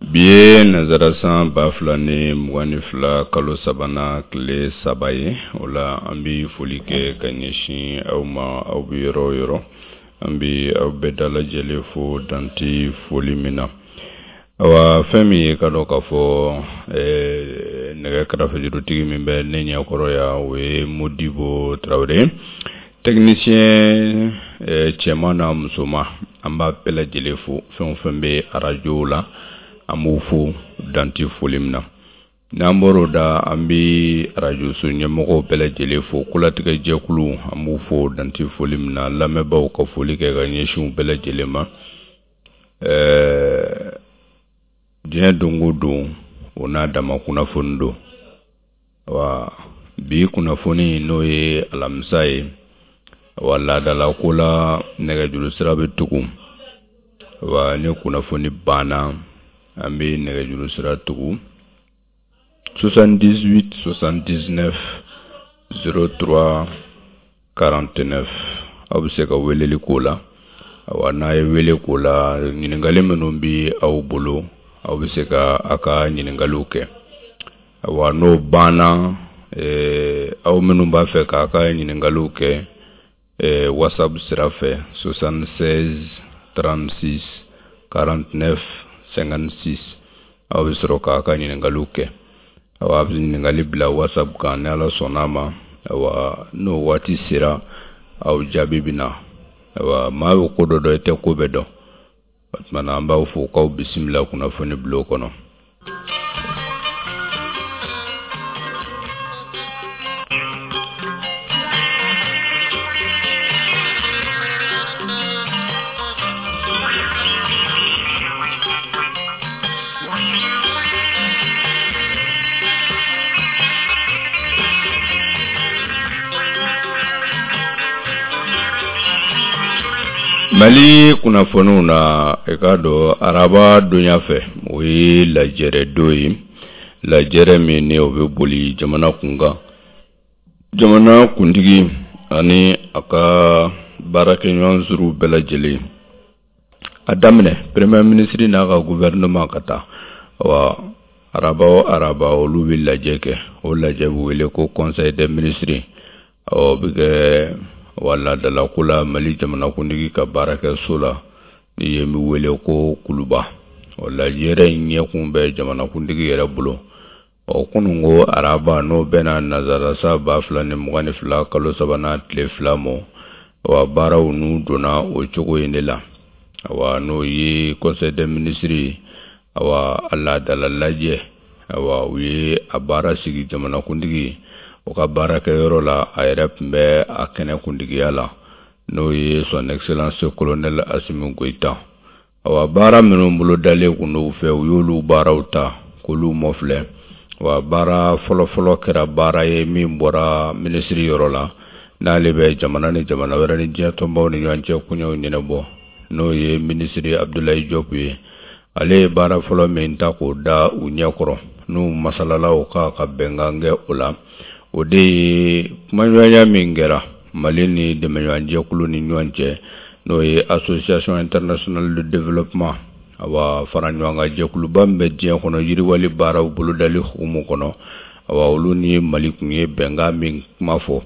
Bi ye nanzara san 2022 kalo sabanan tile 3 ye. O la an bɛ foli kɛ ka ɲɛsin aw ma, aw bɛ yɔrɔ o yɔrɔ, an bɛ aw bɛɛ dalajɛlen fo dante foli min na. Awa fɛn min ye ka dɔn k'a fɔ nɛgɛ karafejurutigi min bɛ ne ɲɛkɔrɔ yan, o ye Modibo Tarawele, technicien cɛman n'a musoman, an b'a bɛɛ lajɛlen fo. Fɛn o fɛn bɛ arajo la, an b'u fo dante foli min na. N'an bɔr'o da, an bɛ arajoso ɲɛmɔgɔw bɛɛ lajɛlen fo, kolatigɛ jɛkulu, an b'u fo dante foli min na. Lamɛnbaaw ka foli kɛ ka ɲɛsin u bɛɛ lajɛlen ma. Diɲɛ don o don, o n'a dama kunnafoni don. Wa bi kunnafoni, n'o ye alamisa ye, wa laadala ko la nɛgɛjuru sira bɛ tugu. Wa ni kunnafoni banna, an bɛ nɛgɛjuru sira tugu 78 79 03 49. Aw bɛ se ka weleli k'o la. Awa n'a ye wele k'o la, ɲininkali minnu bɛ aw bolo, aw bɛ se ka aw ka ɲininkaliw kɛ. Awa n'o banna, aw minnu b'a fɛ k'a ka ɲininkaliw kɛ WhatsApp sira fɛ 76 36 49 56, aw bɛ sɔrɔ k'a ka ɲininkaliw kɛ. Awa a bɛ ɲininkali bila WhatsApp kan, ni Ala sɔnna a ma. Awa n'o waati sera, aw jaabi bɛ na. Awa maa bɛ ko dɔ dɔn, i tɛ ko bɛɛ dɔn. O tuma na an b'aw fo k'aw bisimila kunnafoni bulon kɔnɔ. Mali kunnafoniw na, i k'a dɔn araba donya fɛ, o ye lajɛrɛ don ye, lajɛrɛ min ni o bɛ boli jamana kunkan, jamana kuntigi ani a ka baarakɛɲɔgɔn suruw bɛɛ lajɛlen, a daminɛ premier ministre n'a ka gouvernement ka taa. Wa araba o araba, olu bɛ lajɛ kɛ. O lajɛ bɛ wele ko conseil des ministres. O bɛ kɛ wa laadalako la Mali jamanakuntigi ka baarakɛso la, ni yen bɛ wele ko Kuluba. O lajɛrɛ in ɲɛkun bɛ jamanakuntigi yɛrɛ bolo. Ɔ kunun ko araba, n'o bɛnna nanzara san 2022 kalo sabanan tile 2 ma, wa baaraw n'u donna o cogo in de la. Awa n'o ye conseil des ministres, awa a laadala lajɛ, awa u ye a baara sigi jamanakuntigi o ka baarakɛyɔrɔ la. A yɛrɛ tun bɛ a kɛnɛ kuntigiya la, n'o ye son excellence colonel Assimi Goïta. Awa baara minnu bolodalen kun don u fɛ, u y'olu baaraw ta k'olu mɔfilɛ. Wa baara fɔlɔfɔlɔ kɛra baara ye min bɔra minisiri yɔrɔ la, n'ale bɛ jamana ni jamana wɛrɛ ni diɲɛ tɔnbaw ni ɲɔgɔn cɛ koɲɛw ɲɛnabɔ, n'o ye minisiri Abdoulaye Diop ye. Ale ye baara fɔlɔ min ta k'o da u ɲɛkɔrɔ, n'u masalala o kan ka bɛnkan kɛ o la, o de ye kumaɲɔgɔnya min kɛra Mali ni dɛmɛɲɔgɔnjɛkulu ni ɲɔgɔn cɛ, n'o ye association internationale de développement. awa fara ɲɔgɔn kan jɛkuluba min bɛ diɲɛ kɔnɔ yiriwali baaraw bolodali hukumu kɔnɔ, awa olu ni Mali tun ye bɛnkan min kuma fɔ,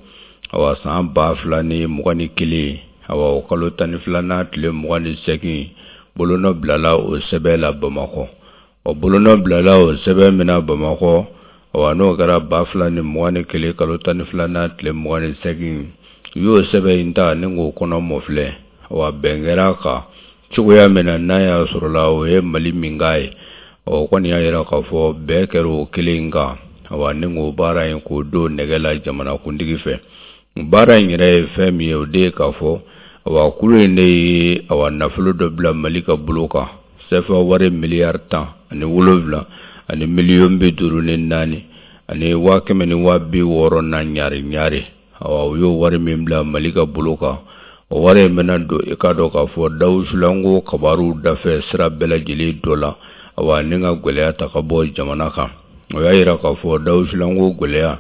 awa san 2021, awa o kalo 12nan tile 28, bolonɔ bilala o sɛbɛn la Bamakɔ. O bolonɔ bilala o sɛbɛn min na Bamakɔ, awa n'o kɛra 2021 kalo 12nan tile 28, u y'o sɛbɛn in ta ni k'o kɔnɔ mɔfilɛ. Awa bɛn kɛra a kan cogoya min na, n'a y'a sɔrɔla o ye Mali min k'a ye, o kɔni y'a yira k'a fɔ bɛn kɛra o kelen in kan, awa ni k'o baara in k'o don nɛgɛ la jamanakuntigi fɛ. Baara in yɛrɛ ye fɛn min ye, o de ye k'a fɔ awa kulu in de ye awa nafolo dɔ bila Mali ka bolo kan, sɛfa wari miliyari 17 ani miliyɔn 54 ani 160,000 na ɲari ɲari. Awa u y'o wari min bila Mali ka bolo kan, o wari in bɛna don i k'a dɔn k'a fɔ dawusulanko kabaruw dafɛ sira bɛɛ lajɛlen dɔ la, awa ni ka gɛlɛya ta ka bɔ jamana kan. O y'a yira k'a fɔ dawusulanko gɛlɛya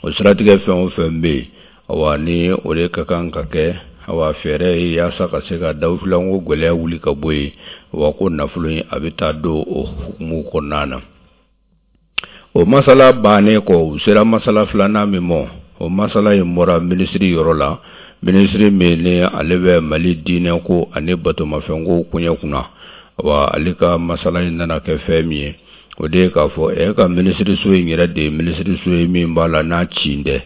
o siratigɛ fɛn o fɛn bɛ yen, awa ni o de ka kan ka kɛ awa fɛɛrɛ ye yaasa ka se ka dawusulanko gɛlɛya wuli ka bɔ yen, awa ko nafolo in a bɛ taa don o hukumu kɔnɔna na. O masala bannen kɔ, u sera masala filanan min ma, o masala in bɔra minisiri yɔrɔ la, minisiri min ni ale bɛ Mali diinɛko ani batomafɛnko koɲɛ kunna. Awa ale ka masala in nana kɛ fɛn min ye, o de ye k'a fɔ e ka minisiriso in yɛrɛ de ye minisiriso ye min b'a la n'a ci tɛ.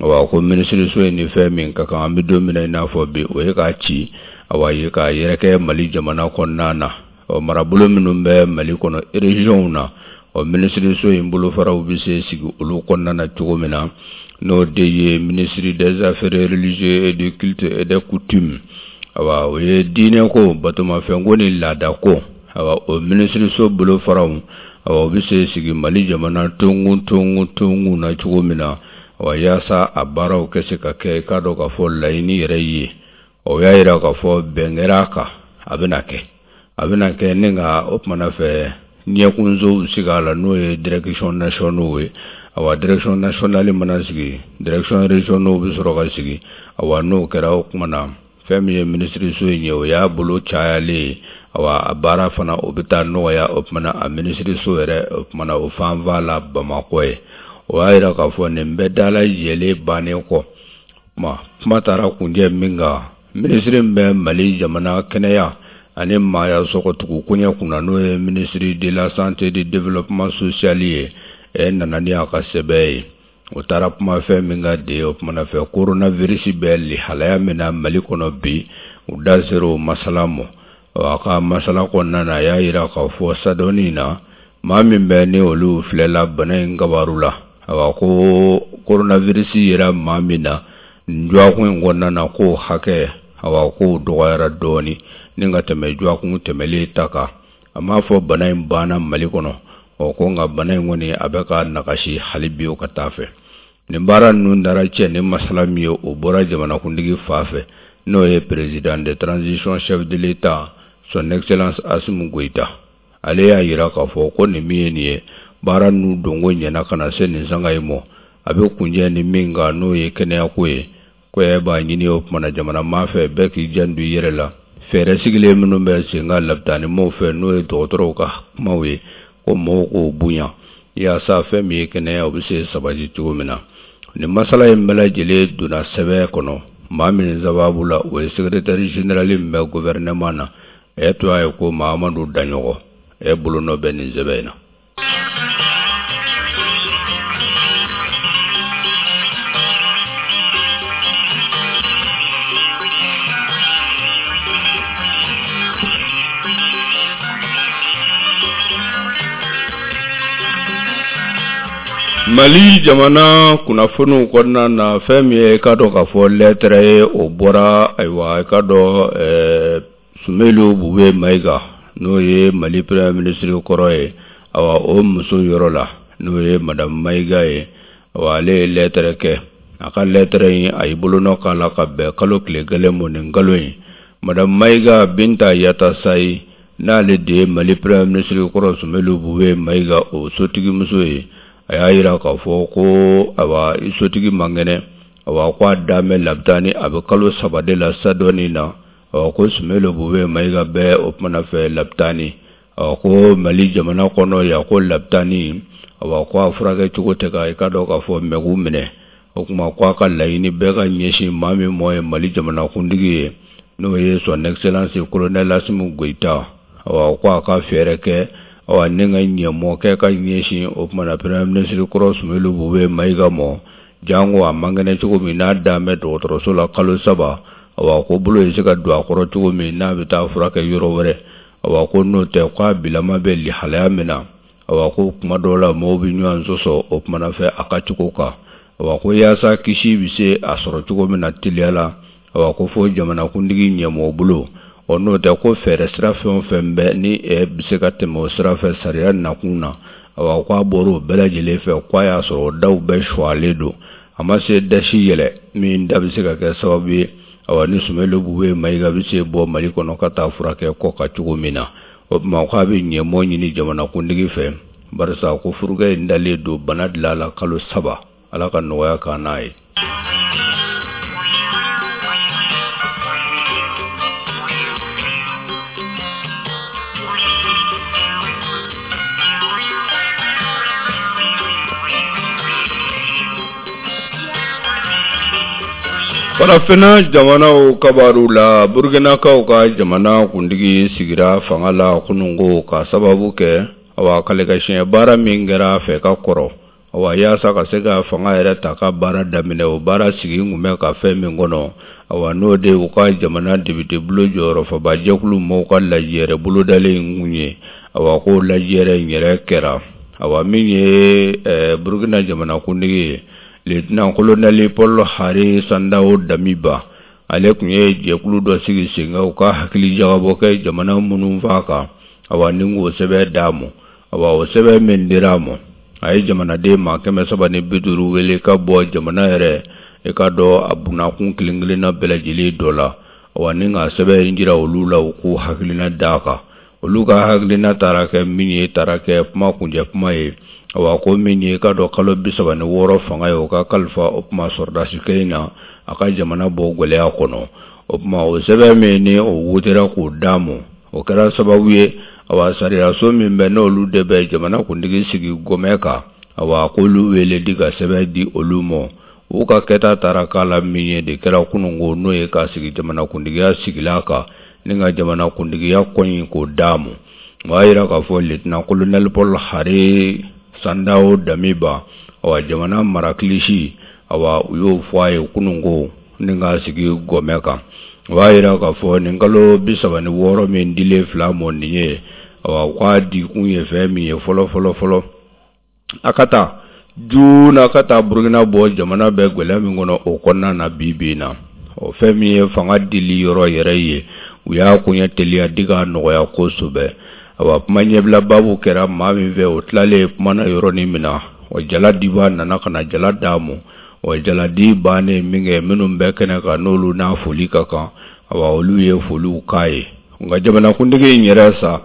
Awa ko minisiriso in ni fɛn min ka kan an bɛ don min na i n'a fɔ bi, o ye k'a ci, awa ye k'a yɛrɛkɛ Mali jamana kɔnɔna na. Ɔ marabolo minnu bɛ Mali kɔnɔ régions na, ɔ minisiriso in bolofaraw bɛ se sigi olu kɔnɔna na cogo min na, n'o de ye ministre des affaires religieuses et du culte et des coutumes, awa o ye diinɛko, batomafɛnko ni laadako, awa o minisiriso bolofaraw, awa o bɛ se sigi Mali jamana tonkun tonkun tonkun na cogo min na, awa yaasa a baaraw kɛ se ka kɛ i k'a dɔn k'a fɔ laɲini yɛrɛ ye. O y'a yira k'a fɔ bɛn kɛra a kan, a bɛna kɛ, a bɛna kɛ ni ka o kumana fɛ ɲɛkunsow sigi a la, n'o ye direction nationaux ye. Awa direction nationale mana sigi, direction régionaux bɛ sɔrɔ ka sigi. Awa n'o kɛra, o kumana fɛn min ye minisiriso in ye, o y'a bolo cayalen ye, awa a baara fana o bɛ taa nɔgɔya. O kumana a minisiriso yɛrɛ, o kumana o fanfa la Bamakɔ ye. O y'a yira k'a fɔ nin bɛɛ dalajɛlen bannen kɔ, kuma taara kunjɛ min kan, minisiri min bɛ Mali jamana kɛnɛya ani maaya sɔgɔtugu koɲɛ kunna, n'o ye ministre de la santé du développement social ye, e nana ni a ka sɛbɛn ye. O taara kuma fɛn min ka de, o kumana fɛ coronavirus bɛ lihalaya min na Mali kɔnɔ bi, u da sera o masala ma. A ka masala kɔnɔna na, a y'a yira k'a fɔ sadɔnni na, maa min bɛ ni olu filɛla bana in kabaru la, awa ko coronavirus yera maa min na nin dɔgɔkun in kɔnɔna na, k'o hakɛ, awa k'o dɔgɔyara dɔɔni ni ka tɛmɛ dɔgɔkun tɛmɛlen ta kan. A m'a fɔ bana in banna Mali kɔnɔ, ɔ ko nka bana in kɔni a bɛ ka nagasi hali bi o ka taa fɛ. Nin baara ninnu dara cɛ ni masala min ye, o bɔra jamanakuntigi fa fɛ, n'o ye président de transition, chef de l'État, son excellence Assimi Goïta. Ale y'a yira k'a fɔ ko nin min ye nin ye, baara ninnu donko ɲɛna ka na se nin sanga in ma, a bɛ kunjɛ ni min kan, n'o ye kɛnɛyako ye. Ko e b'a ɲini o kumana jamana maa fɛ, bɛɛ k'i janto i yɛrɛ la. Fɛɛrɛ sigilen minnu bɛ sen kan labitani maaw fɛ, n'o ye dɔgɔtɔrɔw ka kumaw ye, ko mɔgɔw k'o bonya yaasa fɛn min ye kɛnɛya, o bɛ se sabati cogo min na. Nin masala in bɛɛ lajɛlen donna sɛbɛn kɔnɔ maa min sababu la, o ye secrétaire général min bɛ gouvernement na, e to a ye ko Mahamadu Daɲɔgɔ, e bolonɔ bɛ nin sɛbɛn in na. Mali jamana kunnafoniw kɔnɔna na, fɛn min ye i k'a dɔn k'a fɔ lɛtɛrɛ ye, o bɔra ayiwa i k'a dɔn Soumeylou Boubèye Maïga, n'o ye Mali premier ministre kɔrɔ ye, awa o muso yɔrɔ la, n'o ye madame Maïga ye, awa ale ye lɛtɛrɛ kɛ. A ka lɛtɛrɛ in, a y'i bolonɔ k'a la ka bɛn kalo tile kelen mɔ nin kalo in. Madame Maïga Binta Yatasayi, n'ale de ye Mali premier ministre kɔrɔ Soumeylou Boubèye Maïga o sotigimuso ye, a y'a yira k'a fɔ ko awa i sotigi man kɛnɛ, awa ko a dan bɛ labitani, a bɛ kalo 3 de la sadɔnni na. Awa ko Soumeylou Boubèye Maïga bɛ o kumana fɛ labitani. Awa ko Mali jamana kɔnɔ yan ko lapitani, awa ko a furakɛ cogo tɛ ka i ka dɔn k'a fɔ mɛgu minɛ. O tuma ko a ka laɲini bɛɛ ka ɲɛsin maa min mɔ ye Mali jamanakuntigi ye, n'o ye son excellence colonel Assimi Goïta. Awa ko a ka fɛɛrɛ kɛ, awa ni ka ɲɛmɔ kɛ ka ɲɛsin o tuma na premier ministre kɔrɔ Soumeylou Boubèye Maïga mɔ, janko a man kɛnɛ cogo min n'a dan bɛ dɔgɔtɔrɔso la kalo 3. Awa ko bolo ye se ka don a kɔrɔ cogo min n'a bɛ taa furakɛ yɔrɔ wɛrɛ. Awa ko n'o tɛ k'a bilama bɛ lihalaya min na, awa ko kuma dɔw la mɔgɔw bɛ ɲɔgɔn sɔsɔ o kuma na fɛ a ka cogo kan. Awa ko yaasa kisi bɛ se a sɔrɔ cogo min na teliya la, awa ko fo jamanakuntigi ɲɛmɔgɔ bolo. Ɔ n'o tɛ ko fɛɛrɛ sira fɛn o fɛn bɛ ni bɛ se ka tɛmɛ o sira fɛ sariya nakun na, awa ko a bɔra o bɛɛ lajɛlen fɛ, ko a y'a sɔrɔ o daw bɛɛ suwalen don, a ma se dasi yɛlɛ min da bɛ se ka kɛ sababu ye, awa ni Soumeylou Boubèye Maïga bɛ se bɔ Mali kɔnɔ ka taa furakɛ kɔ kan cogo min na. O tuma ko a bɛ ɲɛmɔ ɲini jamanakuntigi fɛ, barisa ko furukɛ in dalen don bana dilan la kalo 3. Ala ka nɔgɔya k'an n'a ye. Farafinna jamanaw kabaru la, Burkinakaw ka jamana kuntigi sigira fanga la kununko ka sababu kɛ, awa kalikansiɲɛ baara min kɛra a fɛ ka kɔrɔ, awa yaasa ka se ka fanga yɛrɛ ta ka baara daminɛ, o baara sigi kun bɛ ka fɛn min kɔnɔ, awa n'o de u ka jamana depite bulon jɔyɔrɔfabajɛkulu mɔgɔw ka lajɛrɛ bolodalen kun ye. Awa ko lajɛrɛ in yɛrɛ kɛra, awa min ye Burkina jamanakuntigi ye, lieutenant colonel Paul Henri Sandaogo Damiba, ale tun ye jɛkulu dɔ sigi sen kan u ka hakili jagabɔ kɛ jamana minnu fa kan, awa ni k'o sɛbɛn d'a ma. Awa o sɛbɛn min dira a ma, a ye jamanaden maa 350 wele ka bɔ jamana yɛrɛ i ka dɔn a bunakun kelen kelenna bɛɛ lajɛlen dɔ la, awa ni ka sɛbɛn in jira olu la u k'u hakilina d'a kan. Olu ka hakilina taara kɛ min ye, taara kɛ kuma kuncɛ kuma ye. Awa ko min ye ka dɔn kalo 36 fanga ye, o ka kalifa o tuma sɔrɔdasikɛ in na a ka jamana bɔ gɛlɛya kɔnɔ. O tuma o sɛbɛn min ni o wotera k'o d'a ma, o kɛra sababu ye, awa sariyaso min bɛ n'olu de bɛ jamana kuntigi sigi gɔmɛ kan, awa k'olu wele di ka sɛbɛn di olu ma. U ka kɛta taara k'a la min ye de kɛra kununko, n'o ye k'a sigi jamanakuntigiya sigila kan ni ka jamanakuntigiya kɔɲi k'o d'a ma. O y'a jira k'a fɔ lieutenant colonel Paul Henri Sandaogo Damiba, awa jamana marakilisi, awa u y'o fɔ a ye kununko ni k'a sigi gɔmɛ kan. O b'a jira k'a fɔ nin kalo 36 min dilen fila mɔ nin ye, awa k'a dikun ye fɛn min ye fɔlɔ fɔlɔ fɔlɔ, a ka taa joona ka taa Burukina bɔ jamana bɛ gɛlɛya min kɔnɔ o kɔnɔna na bi bi in na. O fɛn min ye fanga dili yɔrɔ yɛrɛ ye, u y'a koɲɛ teliya di k'a nɔgɔya kosɛbɛ. Awa kuma ɲɛbila baabu kɛra maa min fɛ, o tilalen kuma na yɔrɔnin min na, o jala dibaa nana ka na jala d'a ma. O jaladi bannen min kɛ, minnu bɛ kɛnɛ kan n'olu n'a foli ka kan, awa olu ye foliw k'a ye. Nka jamanakuntigi in yɛrɛ sa,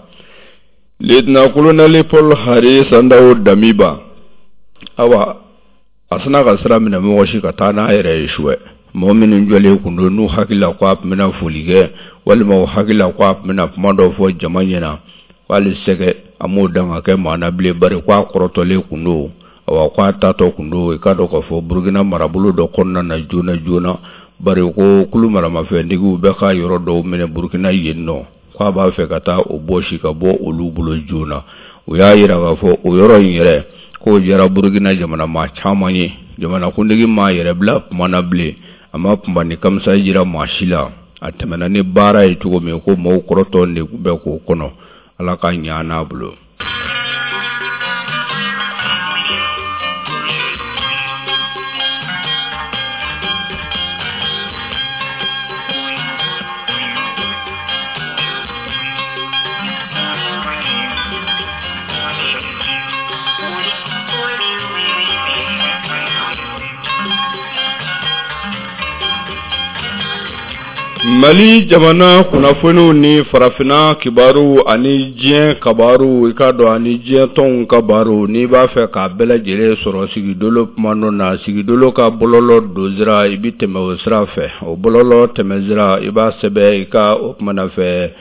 lieutenant colonel Paul Henri Sandaogo Damiba, awa a sina ka sira minɛ mɔgɔ si ka taa n'a yɛrɛ ye suwɛ. Mɔgɔ minnu jɔlen kun don n'u hakili la ko a tun bɛna foli kɛ, walima u hakili la ko a tun bɛna kuma dɔ fɔ jama ɲɛna, k'ale sɛgɛ a m'o dan ka kɛ maa na bilen, bari ko a kɔrɔtɔlen kun don, awa ko a taatɔ kun don i k'a dɔn k'a fɔ Burukina marabolo dɔ kɔnɔna na joona joona, bari ko kulu maramafɛntigiw bɛ ka yɔrɔ dɔw minɛ Burukina yen nɔ, k'a b'a fɛ ka taa o bɔsi ka bɔ olu bolo joona. U y'a jira k'a fɔ o yɔrɔ in yɛrɛ k'o diyara Burukina jamana maa caman ye. Jamanakuntigi m'a yɛrɛ bila kuma na bilen, a ma kunba ni kamisa jira maa si la, a tɛmɛna ni baara ye cogo min ko maaw kɔrɔtɔ de bɛ k'o kɔnɔ. Ala ka ɲa n'a bolo. Mali jamana kunnafoniw ni farafinna kibaru ani diɲɛ kabaru, i k'a dɔn ani diɲɛ tɔnw kabaru, n'i b'a fɛ k'a bɛɛ lajɛlen sɔrɔ Sigidolo kuma nɔ na, Sigidolo ka bɔlɔlɔ don sira, i bɛ tɛmɛ o sira fɛ. O bɔlɔlɔ tɛmɛ sira, i b'a sɛbɛn i ka o kumana fɛ.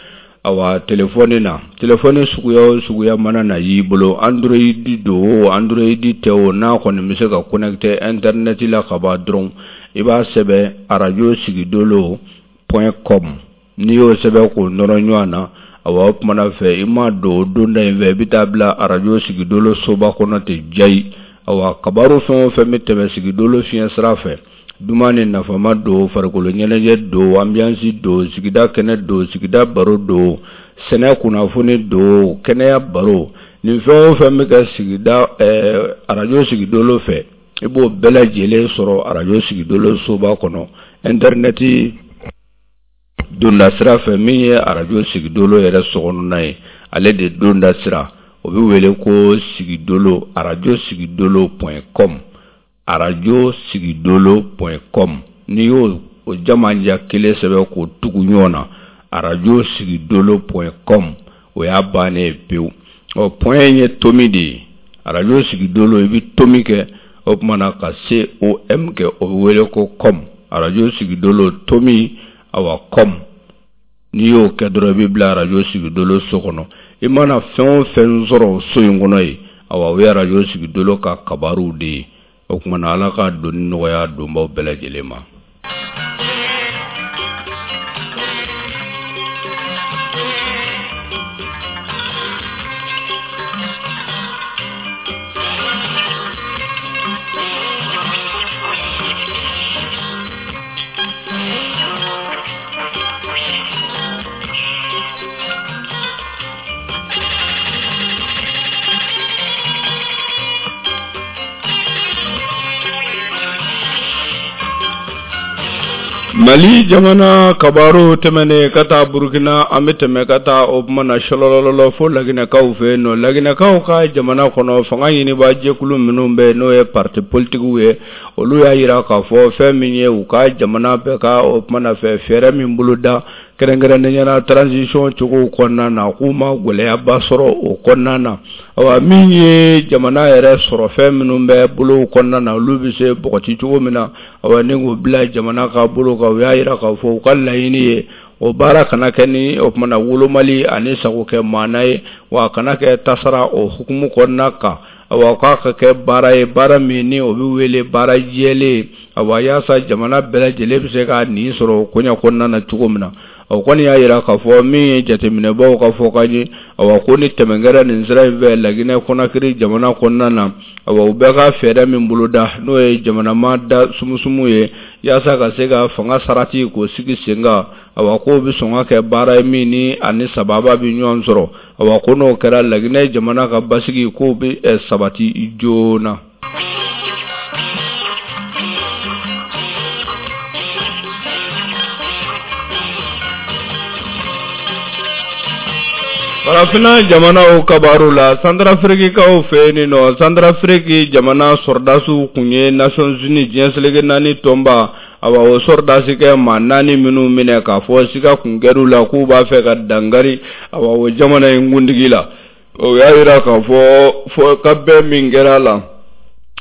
Awa telefɔni na, telefɔni suguya o suguya mana na y'i bolo, Android don o, Android tɛ o, n'a kɔni bɛ se ka connecter internet la ka ban dɔrɔn, i b'a sɛbɛn arajo sigidolo point com. N'i y'o sɛbɛn k'o nɔrɔ ɲɔgɔn na, awa o tuma na fɛ i ma don o donda in fɛ, i bɛ taa bila arajo sigidolo soba kɔnɔ ten jayi. Awa kabaru fɛn o fɛn bɛ tɛmɛ sigidolo fiɲɛ sira fɛ, duman ni nafama don, farikolo ɲɛnajɛ don, ambiance don, sigida kɛnɛ don, sigida baro don, sɛnɛ kunnafoni don, kɛnɛya baro, nin fɛn o fɛn bɛ kɛ sigida arajo sigidolo fɛ, i b'o bɛɛ lajɛlen sɔrɔ arajo sigidolo soba kɔnɔ intɛrinɛti donda sira fɛ. Min ye arajo sigidolo yɛrɛ sokɔnɔna ye, ale de donda sira, o bɛ wele ko sigidolo, arajo sigidolo point com, arajo sigidolo point com. N'i y'o o jamanja kelen sɛbɛn k'o tugu ɲɔgɔn na, arajo sigidolo point com, o y'a bannen ye pewu. Ɔ point in ye tomi de ye. Arajo sigidolo, i bɛ tomi kɛ, o tuma na ka C O M kɛ, o bɛ wele ko com. Arajo sigidolo tomi, awa com. N'i y'o kɛ dɔrɔn, i bɛ bila arajo sigidolo so kɔnɔ. I mana fɛn o fɛn sɔrɔ so in kɔnɔ yen, awa o ye arajo sigidolo ka kabaruw de ye. O tuma na Ala ka doni nɔgɔya donbaw bɛɛ lajɛlen ma. Mali jamana kabaru tɛmɛnen ka taa Burukina, an bɛ tɛmɛ ka taa o tuma na sɔlɔlɔlɔ fo Laginɛkaw fɛ yen nɔ. Laginɛkaw ka jamana kɔnɔ, fanga ɲinibaa jɛkulu minnu bɛ n'o ye parti politikiw ye, olu y'a jira k'a fɔ fɛn min ye u ka jamana bɛ ka o tuma na fɛ fɛɛrɛ min boloda, kɛrɛnkɛrɛnnenya la transition cogo kɔnɔna na, k'u ma gɛlɛyaba sɔrɔ o kɔnɔna na. Awa min ye jamana yɛrɛ sɔrɔ fɛn minnu bɛ bolow kɔnɔna na, olu bɛ se bɔgɔti cogo min na, awa ni k'u bila jamana ka bolo kan, u y'a jira k'a fɔ u ka laɲini ye o baara kana kɛ ni o tuma na wolomali ani sagokɛ maana ye, wa a kana kɛ tasara o hukumu kɔnɔna kan. Awa k'a ka kɛ baara ye, baara min ni o bɛ wele baara jɛlen, awa yaasa jamana bɛɛ lajɛlen bɛ se ka nin sɔrɔ o koɲɛ kɔnɔna na cogo min na. O kɔni y'a jira k'a fɔ min ye jateminɛbaw ka fɔ ka ye, awa ko ni tɛmɛ kɛra nin sira in fɛ Laginɛ Kɔnakiri jamana kɔnɔna na, awa u bɛ ka fɛɛrɛ min boloda, n'o ye jamana ma da sumusumu ye, yaasa ka se ka fanga sarati k'o sigi sen kan, awa k'o bɛ sɔn ka kɛ baara ye min ni ani sababa bɛ ɲɔgɔn sɔrɔ. Awa ko n'o kɛra, Laginɛ jamana ka basigi k'o bɛ sabati joona. Farafinna jamanaw kabaru la, Santarafirikikaw fɛ yen nɔ, Santarafiriki jamana sɔrɔdasiw tun ye Nations Unies, diɲɛ seleke naani tɔnba, awa o sɔrɔdasikɛ maa naani minnu minɛ k'a fɔ siga kun kɛr'u la k'u b'a fɛ ka dankari awa o jamana in kuntigi la, o y'a jira k'a fɔ fɔ ka bɛn min kɛra a la,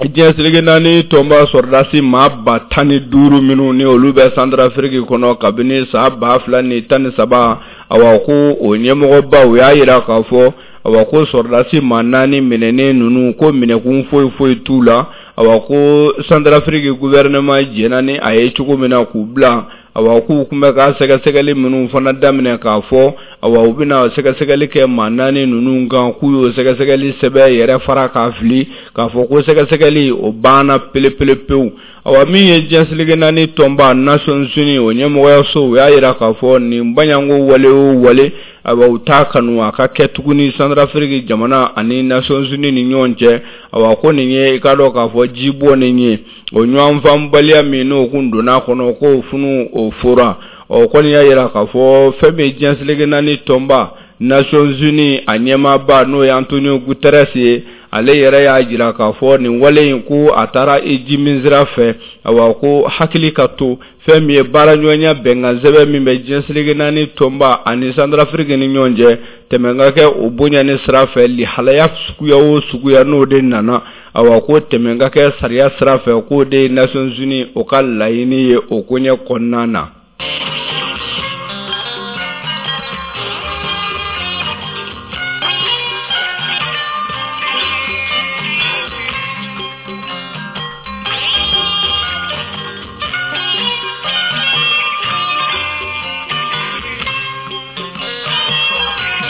diɲɛ seleke naani tɔnba sɔrɔdasi maa 15 000 minnu ni olu bɛ Santarafiriki kɔnɔ kabini san 2013, awa ko o ɲɛmɔgɔba o y'a jira k'a fɔ awa ko sɔrɔdasi maa naani minɛnen ninnu, ko minɛkun foyi foyi t'u la. Awa ko Santarafiriki gouvernement jɛnna ni a ye cogo min na k'u bila, awa k'u tun bɛ ka sɛgɛsɛgɛli minnu fana daminɛ k'a fɔ awa u bɛna sɛgɛsɛgɛli kɛ maa naani ninnu kan, k'u y'o sɛgɛsɛgɛli sɛbɛn yɛrɛ fara k'a fili k'a fɔ ko sɛgɛsɛgɛli o banna pelepele pewu. Awa min ye diɲɛ seleke naani tɔnba Nations Unies o ɲɛmɔgɔyaso, u y'a jira k'a fɔ nin baɲanko wale o wale, awa u t'a kanu a ka kɛ tuguni Santarafiriki jamana ani Nations Unies ni ɲɔgɔn cɛ. Awa ko nin ye i k'a dɔn k'a fɔ ji bɔnnen ye, o ɲɔgɔnfaamubaliya min n'o kun donna a kɔnɔ, k'o funu o fora. Ɔ kɔni y'a jira k'a fɔ fɛn min ye diɲɛ seleke naani tɔnba Nations Unies a ɲɛmaaba, n'o ye Antonio Guterres ye, ale yɛrɛ y'a jira k'a fɔ nin wale in ko a taara i ji min sira fɛ. Awa ko hakili ka to fɛn min ye baaraɲɔgɔnya bɛnkan sɛbɛn min bɛ diɲɛ seleke naani tɔnba ani Santarafiriki ni ɲɔgɔn cɛ, tɛmɛ ka kɛ o bonya ni sira fɛ lihalaya suguya o suguya n'o de nana, awa ko tɛmɛ ka kɛ sariya sira fɛ, k'o de ye Nations Unies o ka laɲini ye o koɲɛ kɔnɔna na.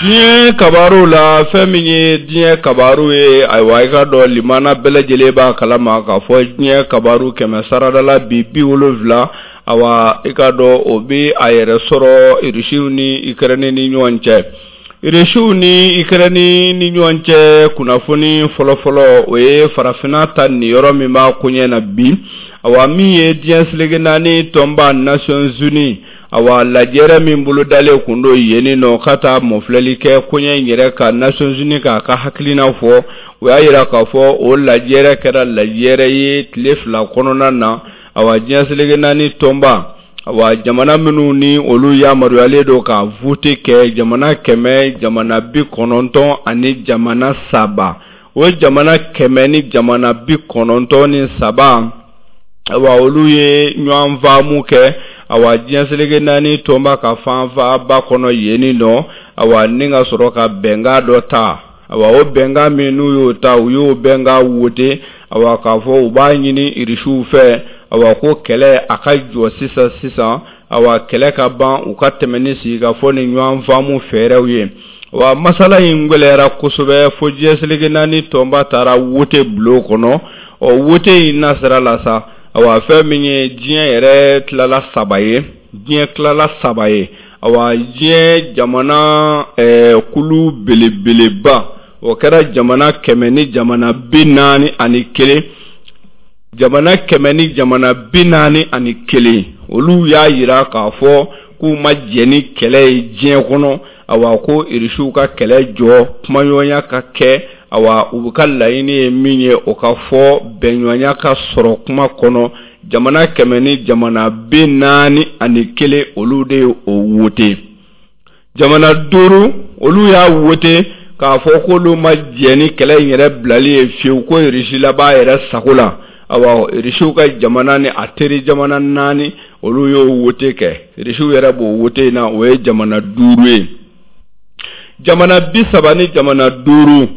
Diɲɛ kabaru la, fɛn min ye diɲɛ kabaru ye, ayiwa, i ka dɔn limana bɛɛ lajɛlen b'a kalama k'a fɔ diɲɛ kabaru 100 sarada la bi 70, awa, i ka dɔn o bɛ a yɛrɛ sɔrɔ Irisiw ni Ikɛrɛni ni ɲɔgɔn cɛ. Irisiw ni Ikɛrɛni ni ɲɔgɔn cɛ kunnafoni fɔlɔfɔlɔ, o ye farafinna ta niyɔrɔ min b'a koɲɛ na bi. Awa, min ye diɲɛ seleke naani tɔnba Nations Unies, awa, lajɛrɛ min bolodalen kun don yenni nɔ ka taa mɔfilɛli kɛ koɲɛ in yɛrɛ ka Nations Unies k'a ka hakilina fɔ, o y'a yira k'a fɔ o lajɛrɛ kɛra lajɛrɛ ye tile 2 kɔnɔna na. Awa, diɲɛ seleke naani tɔnba, awa, jamana minnu ni olu yamaruyalen don ka vote kɛ, jamana 100 jamana 93 jamana 3, o jamana 100 ni jamana 93, awa, olu ye ɲɔgɔn faamu kɛ, awa, diɲɛ seleke naani tɔnba ka fanfaba kɔnɔ yenni nɔ, awa, ni ka sɔrɔ ka bɛnkan dɔ ta. Awa, o bɛnkan min n'u y'o ta, u y'o bɛnkan wote, awa, k'a fɔ u b'a ɲini Irisiw fɛ, awa, ko kɛlɛ a ka jɔ sisan sisan, awa, kɛlɛ ka ban, u ka tɛmɛ ni sigikafɔ ni ɲɔgɔn faamu fɛɛrɛw ye. Wa masala in gɛlɛyara kosɛbɛ fo diɲɛ seleke naani tɔnba taara wote bulon kɔnɔ. Ɔ, wote in nasira la sa, awa, fɛn min ye diɲɛ yɛrɛ tilala saba ye, diɲɛ tilala saba ye. Awa, diɲɛ jamana kulu belebeleba, o kɛra jamana 100 ni jamana 41, jamana 100 ni jamana 41, olu y'a yira k'a fɔ k'u ma jɛn ni kɛlɛ ye diɲɛ kɔnɔ. Awa, ko Irisiw ka kɛlɛ jɔ, kumaɲɔgɔnya ka kɛ, awa, u ka laɲini ye min ye, o ka fɔ, bɛnɲɔgɔnya ka sɔrɔ kuma kɔnɔ. Jamana 100 ni jamana 41, olu de ye o wote. Jamana 5, olu y'a wote k'a fɔ k'olu ma jɛn ni kɛlɛ in yɛrɛ bilali ye fiyewu, ko Irisi laban yɛrɛ sago la. Awa, Irisiw ka jamana ni a teri jamana 4, olu y'o wote kɛ. Irisiw yɛrɛ b'o wote in na, o ye jamana 5 ye. Jamana 30 ni jamana 5,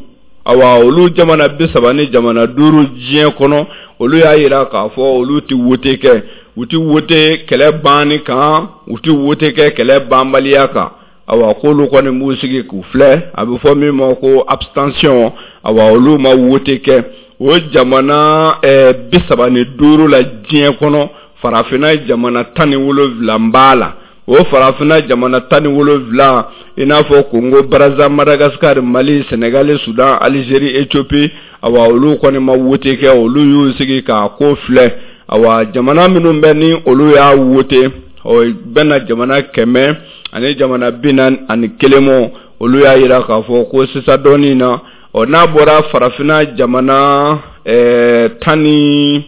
awa, olu jamana 30 ni jamana 5 diɲɛ kɔnɔ, olu y'a yira k'a fɔ olu tɛ wote kɛ, u tɛ wote kɛlɛ banni kan, u tɛ wote kɛ kɛlɛ banbaliya kan. Awa, k'olu kɔni b'u sigi k'u filɛ, a bɛ fɔ min ma ko abstention. Awa, olu ma wote kɛ. O jamana 35 la diɲɛ kɔnɔ, farafinna jamana 17 b'a la. O farafinna jamana 17, i n'a fɔ Kongo, Brazza, Madagascar, Mali, Senegali, Sudan, Algérie, Éthiopie, awa, olu kɔni ma wote kɛ, olu y'u sigi k'a ko filɛ. Awa, jamana minnu bɛ ni olu y'a wote, o bɛna jamana 100 ani jamana 41 mɔ, olu y'a yira k'a fɔ ko sisan dɔɔnin na. Ɔ, n'a bɔra farafinna jamana 17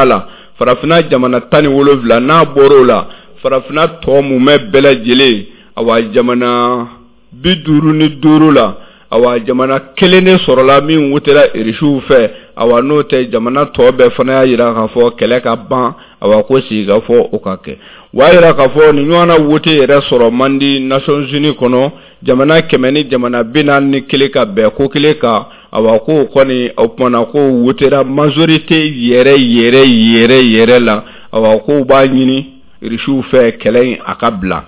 la, farafinna jamana 17, n'a bɔr'o la, farafinna tɔ mumɛ bɛɛ lajɛlen, awa, jamana 55 la, awa, jamana kelen de sɔrɔla min wotera Irisiw fɛ. Awa, n'o tɛ, jamana tɔ bɛɛ fana y'a yira k'a fɔ kɛlɛ ka ban, awa, ko sigikafɔ o ka kɛ. O y'a yira k'a fɔ nin ɲɔgɔnna wote yɛrɛ sɔrɔ man di Nations Unies kɔnɔ, jamana 100 ni jamana 41 ka bɛn ko kelen kan. Awa, k'o kɔni, o kumana ko wotera majorité yɛrɛ yɛrɛ yɛrɛ yɛrɛ la. Awa, k'o b'a ɲini Irisiw fɛ kɛlɛ in a ka bila.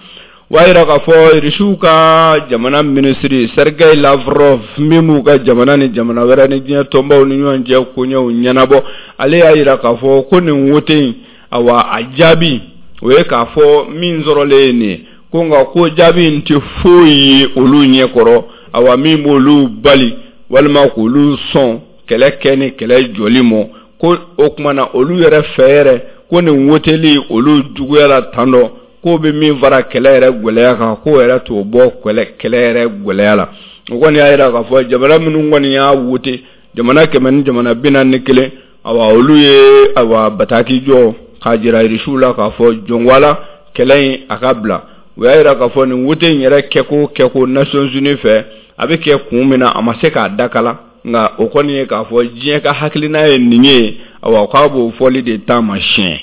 O y'a yira k'a fɔ Irisiw ka jamana minisiri Sergei Lavrov, min b'u ka jamana ni jamana wɛrɛ ni diɲɛ tɔnbaw ni ɲɔgɔn cɛ koɲɛw ɲɛnabɔ, ale y'a yira k'a fɔ ko nin wote in, awa, a jaabi o ye k'a fɔ min sɔrɔlen ye nin ye, ko nka ko jaabi in tɛ foyi ye olu ɲɛkɔrɔ, awa, min b'olu bali walima k'olu sɔn kɛlɛ kɛ ni kɛlɛ jɔli mɔ. Ko o tuma na olu yɛrɛ fɛ yɛrɛ ko nin woteli olu juguyara tan dɔ, k'o bɛ min fara kɛlɛ yɛrɛ gɛlɛya kan, k'o yɛrɛ t'o bɔ kɛlɛ yɛrɛ gɛlɛya la. O kɔni y'a yira k'a fɔ jamana minnu kɔni y'a wote, jamana 100 ni jamana 41, awa, olu ye, awa, bataki jɔ k'a jira Irisiw la k'a fɔ jɔnwala kɛlɛ in a ka bila. O y'a yira k'a fɔ nin wote in yɛrɛ kɛko Nations Unies fɛ, a bɛ kɛ kun min na, a ma se k'a dakala, nka o kɔni ye k'a fɔ diɲɛ ka hakilina ye nin ye, awa, k'a b'o fɔli de taamasiyɛn.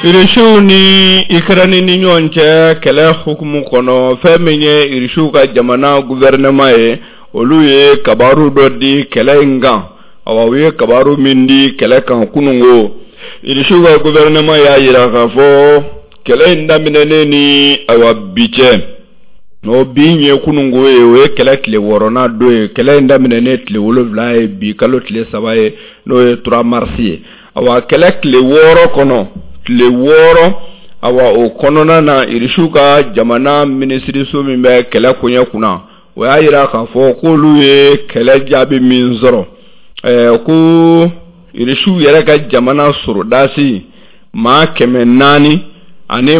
Irisiw ni Ikɛrɛni ni ɲɔgɔn cɛ kɛlɛ hukumu kɔnɔ, fɛn min ye Irisiw ka jamana gouvernement ye, olu ye kabaru dɔ di kɛlɛ in kan. Awa, u ye kabaru min di kɛlɛ kan kunungo, Irisiw ka gouvernement y'a jira k'a fɔ kɛlɛ in daminɛnen ni ayiwa bi cɛ, o bi ye kunungo ye, o ye kɛlɛ tile 6nan don ye. Kɛlɛ in daminɛnen tile 7 ye, bi kalo tile 3 ye, n'o ye 3 mars ye. Awa, kɛlɛ tile 6 kɔnɔ, tile 6, awa, o kɔnɔna na, Irisiw ka jamana minisiriso min bɛ kɛlɛ koɲɛ kunna, o y'a jira k'a fɔ k'olu ye kɛlɛ jaabi min sɔrɔ, ko Irisiw yɛrɛ ka jamana sɔrɔdasi 400 ani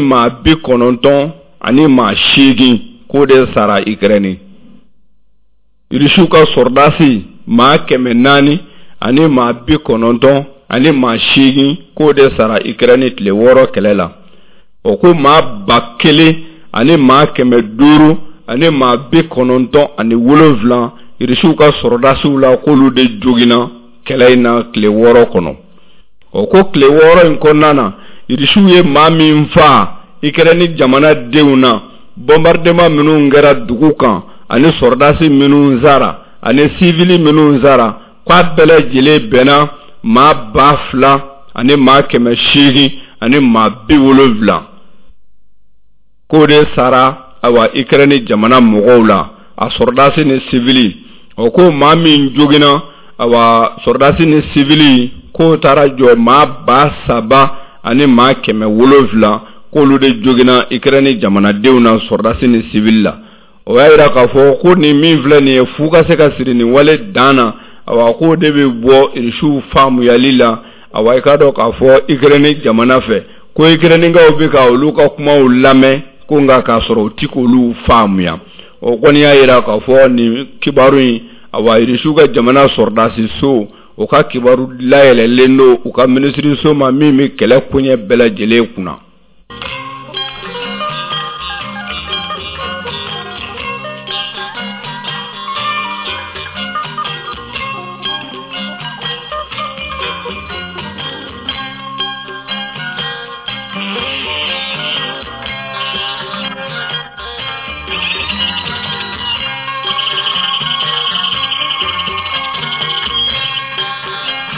98 k'o de sara Ikɛrɛni. Irisiw ka sɔrɔdasi 400 ani 98 k'o de sara Ikɛrɛni tile 6 kɛlɛ la. O ko 1000 ani 500 ani 97 Irisiw ka sɔrɔdasiw la, k'olu de joginna kɛlɛ in na tile 6 kɔnɔ. O ko tile 6 in kɔnɔna na, Irisiw ye maa min faa Ikɛrɛni jamanadenw na, bombardement minnu kɛra dugu kan ani sɔrɔdasi minnu sara ani sivili minnu sara, k'a bɛɛ lajɛlen bɛnna 2000 ani 870, k'o de sara ayiwa Ikɛrɛni jamana mɔgɔw la, a sɔrɔdasi ni sivili. O ko maa min joginna, awa, sɔrɔdasi ni sivili, k'o taara jɔ 3000 ani 700, k'olu de joginna Ikɛrɛni jamanadenw na, sɔrɔdasi ni sivili la. O y'a jira k'a fɔ ko nin min filɛ nin ye, fu ka se ka siri nin wale dan na, awa, k'o de bɛ bɔ Irisiw faamuyali la. Awa, i k'a dɔn k'a fɔ Ikɛrɛni jamana fɛ ko Ikɛrɛnikaw bɛ ka olu ka kumaw lamɛn ko, nka k'a sɔrɔ u ti k'olu faamuya. O kɔni y'a jira k'a fɔ nin kibaru in, awa, Irisiw ka jamana sɔrɔdasi so, o ka kibaru layɛlɛlen don u ka minisiriso ma min bɛ kɛlɛ koɲɛ bɛɛ lajɛlen kunna.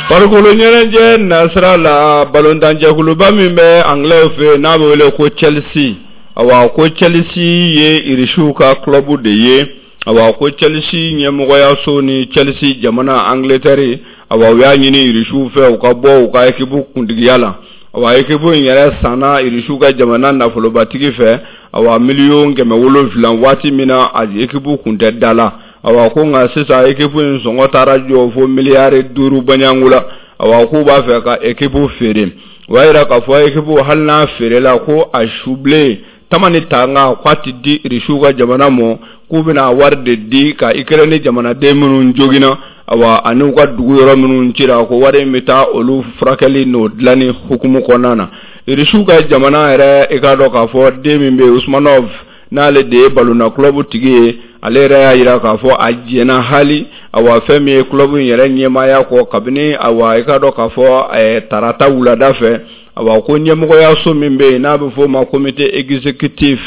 Farikolo ɲɛnajɛ nasira la, balontanjɛkuluba min bɛ Angilɛw fɛ, n'a bɛ wele ko Chelsea, awa, ko Chelsea ye Irisiw ka club de ye. Awa, ko Chelsea ɲɛmɔgɔyaso ni Chelsea jamana Angleterre, awa, u y'a ɲini Irisiw fɛ u ka bɔ u ka équipe kuntigiya la. Awa, équipe in yɛrɛ sanna Irisiw ka jamana nafolobatigi fɛ, awa, 700 miliyɔn, waati min na a équipe kun tɛ da la. Awa, ko nka sisan équipe in sɔngɔ taara jɔ fo 5 miliyari baɲangu la. Awa, k'u b'a fɛ ka équipe feere. O y'a jira k'a fɔ équipe, hali n'a feerela, ko a subilen tama ni tanga k'a ti di Irisiw ka jamana ma, k'u bɛna wari de di ka Ikɛrɛni jamanaden minnu joginna, awa, ani u ka dugu yɔrɔ minnu cira, ko wari in bɛ taa olu furakɛli n'o dilanni hukumu kɔnɔna na. Irisiw ka jamana yɛrɛ, i k'a dɔn k'a fɔ den min bɛ yen, Usmanov, n'ale de ye balonna club tigi ye, ale yɛrɛ y'a jira k'a fɔ a jɛnna hali, awa, fɛn min ye club in yɛrɛ ɲɛmaaya kɔ kabini, awa, i k'a dɔn k'a fɔ tarata wulada fɛ. Awa, ko ɲɛmɔgɔyaso min bɛ yen n'a bɛ fɔ o ma comité exécutif,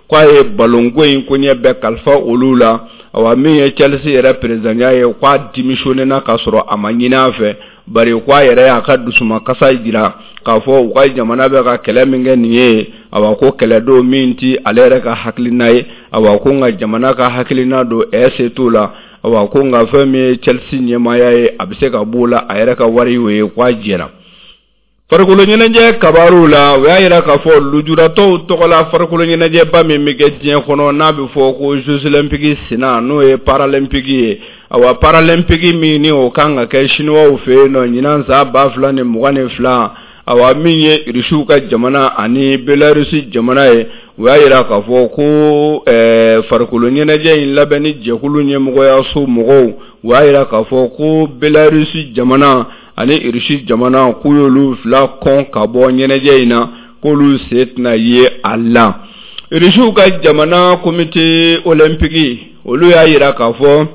k'a ye balonko in koɲɛ bɛɛ kalifa olu la. Awa, min ye Chelsea yɛrɛ présidentya ye, k'a démissionné na k'a sɔrɔ a ma ɲini a fɛ, bari k'a yɛrɛ y'a ka dusumakasa jira k'a fɔ u ka jamana bɛ ka kɛlɛ min kɛ nin ye, awa, ko kɛlɛ don min ti ale yɛrɛ ka hakilina ye. Awa, ko nka jamana ka hakilina don, ɛ se t'o la. Awa, ko nka fɛn min ye Chelsea ɲɛmaaya ye, a bɛ se ka b'o la, a yɛrɛ ka wari y'o ye, k'a jɛra. Farikolo ɲɛnajɛ kabaruw la, o y'a jira k'a fɔ lujuratɔw tɔgɔla farikolo ɲɛnajɛba min bɛ kɛ diɲɛ kɔnɔ, n'a bɛ fɔ ko Jeux olympiques senna, n'o ye paralympique ye. Awa, paralympique min ni o kan ka kɛ Chinois fɛ yen nɔ ɲinan san 2022, awa, min ye Irisiw ka jamana ani Belarusi jamana ye, u y'a jira k'a fɔ ko farikolo ɲɛnajɛ in labɛnni jɛkulu ɲɛmɔgɔyaso mɔgɔw, u y'a jira k'a fɔ ko Belarusi jamana ani Irisi jamana, k'u y'olu fila kɔn ka bɔ ɲɛnajɛ in na, k'olu sen tɛna ye a la. Irisiw ka jamana comité olympique, olu y'a jira k'a fɔ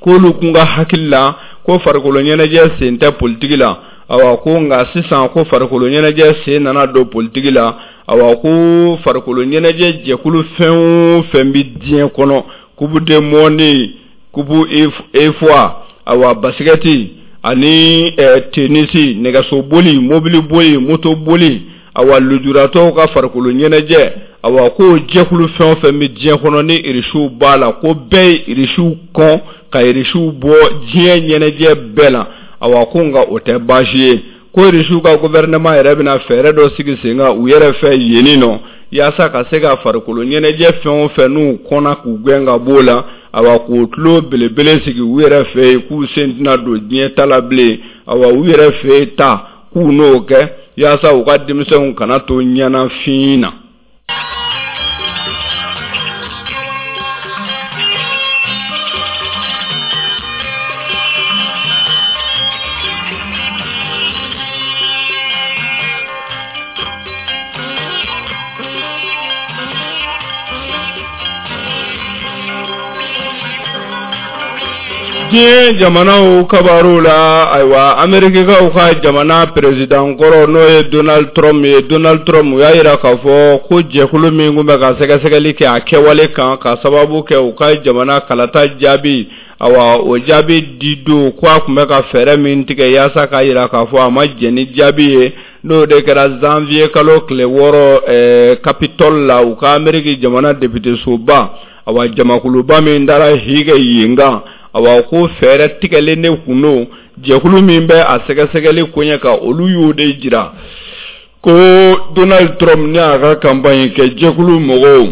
k'olu kun ka hakili la ko farikolo ɲɛnajɛ sen tɛ politiki la. Awa ko nka sisan ko farikolo ɲɛnajɛ sen nana don politiki la. Awa ko farikolo ɲɛnajɛ jɛkulu fɛn o fɛn bɛ diɲɛ kɔnɔ, Coupe du monde, Coupe UEFA, awa basikɛti ani tenisi, nɛgɛsoboli, mobiliboli, motoboli, awa lujuratɔw ka farikolo ɲɛnajɛ, awa ko jɛkulu fɛn o fɛn bɛ diɲɛ kɔnɔ ni irisiw b'a la, ko bɛɛ ye irisiw kɔn ka irisiw bɔ diɲɛ ɲɛnajɛ bɛɛ la. Awa ko nka o tɛ baasi ye, ko irisiw ka gouvernement yɛrɛ bɛna fɛɛrɛ dɔ sigi sen kan u yɛrɛ fɛ yenni nɔ, yaasa ka se ka farikolo ɲɛnajɛ fɛn o fɛn n'u kɔnna k'u gɛn ka b'o la, awa k'o tulo belebele sigi u yɛrɛ fɛ yen, k'u sen tɛna don diɲɛ ta la bilen. Awa u yɛrɛ fɛ yen ta, k'u n'o kɛ yaasa u ka denmisɛnw kana to ɲɛnafin na. Diɲɛ jamanaw kabaru la, ayiwa, Amerikikaw ka jamana perezidan kɔrɔ, n'o ye Donald Trump ye, Donald Trump, u y'a jira k'a fɔ ko jɛkulu min tun bɛ ka sɛgɛsɛgɛli kɛ a kɛwale kan ka sababu kɛ u ka jamana kalata jaabi, awa o jaabi di don, ko a tun bɛ ka fɛɛrɛ min tigɛ yaasa k'a jira k'a fɔ a ma jɛn ni jaabi ye, n'o de kɛra janvier kalo tile 6 Capitole la, u ka Ameriki jamana depitesoba. Awa jamakuluba min taara hi kɛ yen kan, awa ko fɛɛrɛ tigɛlen de kun don. Jɛkulu min bɛ a sɛgɛsɛgɛli koɲɛ kan, olu y'o de jira ko Donald Trump ni a ka campagne kɛ jɛkulu mɔgɔw,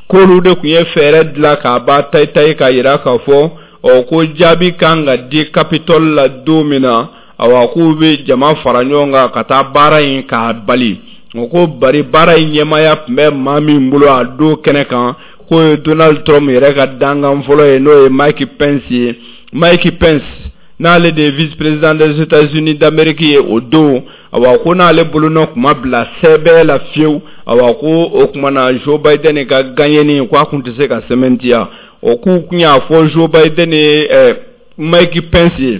k'olu de tun ye fɛɛrɛ dilan k'a ba tayi-tayi k'a jira k'a fɔ ɔ ko jaabi kan ka di Capitole la don min na, awa k'u bɛ jama fara ɲɔgɔn kan ka taa baara in k'a bali. O ko bari baara in ɲɛmaaya tun bɛ maa min bolo a don kɛnɛ kan, k'o ye Donald Trump yɛrɛ ka dankan fɔlɔ ye, n'o ye Mike Pence ye. Mike Pence, n'ale de ye vice président des États-Unis d'Amérique ye o don, awa ko n'ale bolonɔ tun ma bila sɛbɛn la fiyewu, awa ko o tuma na Joe Biden ka gagneni, ko a tun tɛ se ka sɛmɛntiya. O k'u tun y'a fɔ Joe Biden ye Mike Pence ye,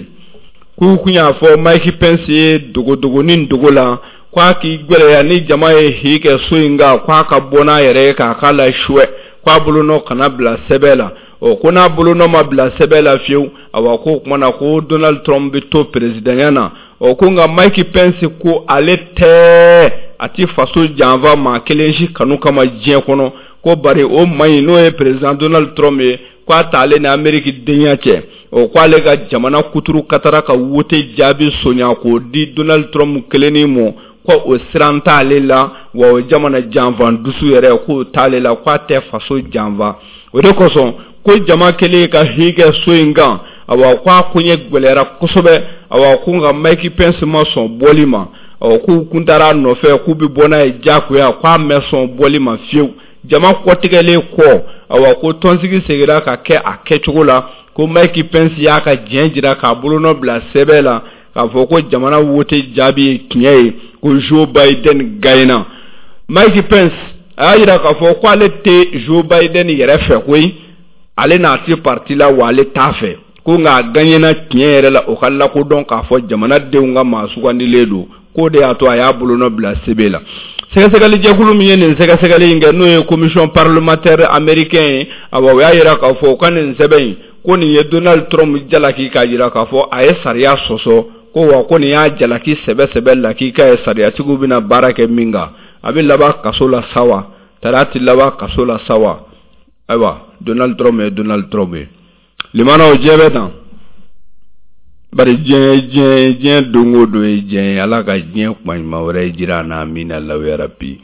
k'u tun y'a fɔ Mike Pence ye dogodogonin dogo la k'a k'i gwɛlɛya ni jama ye hi kɛ so in kan, k'a ka bɔ n'a yɛrɛ ye k'a k'a la suwɛ, k'a bolonɔ kana bila sɛbɛn la. Ɔ ko n'a bolonɔ ma bila sɛbɛn la fiyewu, awa ko o tuma na ko Donald Trump bɛ to perezidanya na. Ɔ ko nka Mike Pence ko ale tɛ, a ti faso janfa maa kelen si kanu kama diɲɛ kɔnɔ, ko bari o maa in, n'o ye perezidant Donald Trump ye, k'a t'ale ni Ameriki denya cɛ. O ko ale ka jamana kuturu katara ka wote jaabi sonya k'o di Donald Trump kelennin ma, ko o siran t'ale la, wa o jamana janfa dusu yɛrɛ k'o t'ale la, k'a tɛ faso janfa. O de kosɔn ko jama kɛlen ka hi kɛ so in kan, awa ko a koɲɛ gwɛlɛyara kosɛbɛ. Awa ko nka Mike Pence ma sɔn bɔli ma. Ɔ k'u kun taara a nɔfɛ k'u bɛ bɔ n'a ye diyagoya, k'a ma sɔn bɔli ma fiyewu. Jama kɔtigɛlen kɔ, awa ko tɔnsigi seginna ka kɛ a kɛcogo la, ko Mike Pence y'a ka jɛn jira k'a bolonɔ bila sɛbɛn la k'a fɔ ko jamana wote jaabi ye tiɲɛ ye, ko Joe Biden gagnera. Mike Pence a y'a jira k'a fɔ ko ale tɛ Joe Biden yɛrɛ fɛ koyi, ale n'a tɛ parti la, wa ale t'a fɛ, ko nka a gagnera tiɲɛ yɛrɛ la, o ka lakodɔn k'a fɔ jamanadenw ka maa sugandilen don, k'o de y'a to a y'a bolonɔ bila sɛbɛn la. Sɛgɛsɛgɛlijɛkulu min ye nin sɛgɛsɛgɛli in kɛ, n'o ye commission parlementaire américain ye, awa o y'a jira k'a fɔ u ka nin sɛbɛn in, ko nin ye Donald Trump jalaki k'a jira k'a fɔ a ye sariya sɔsɔ, ko wa ko nin y'a jalaki sɛbɛ sɛbɛ lakika ye, sariyatigiw bɛna baara kɛ min kan. A bɛ laban kaso la sa wa, tari a tɛ laban kaso la sa wa? Ayiwa, Donald Trump ye Donald Trump ye. Limanaw, diɲɛ bɛ tan bari, diɲɛ diɲɛ diɲɛ don o don ye diɲɛ ye. Ala ka diɲɛ kuma ɲuman wɛrɛ jira an na, amina lawuyara bi.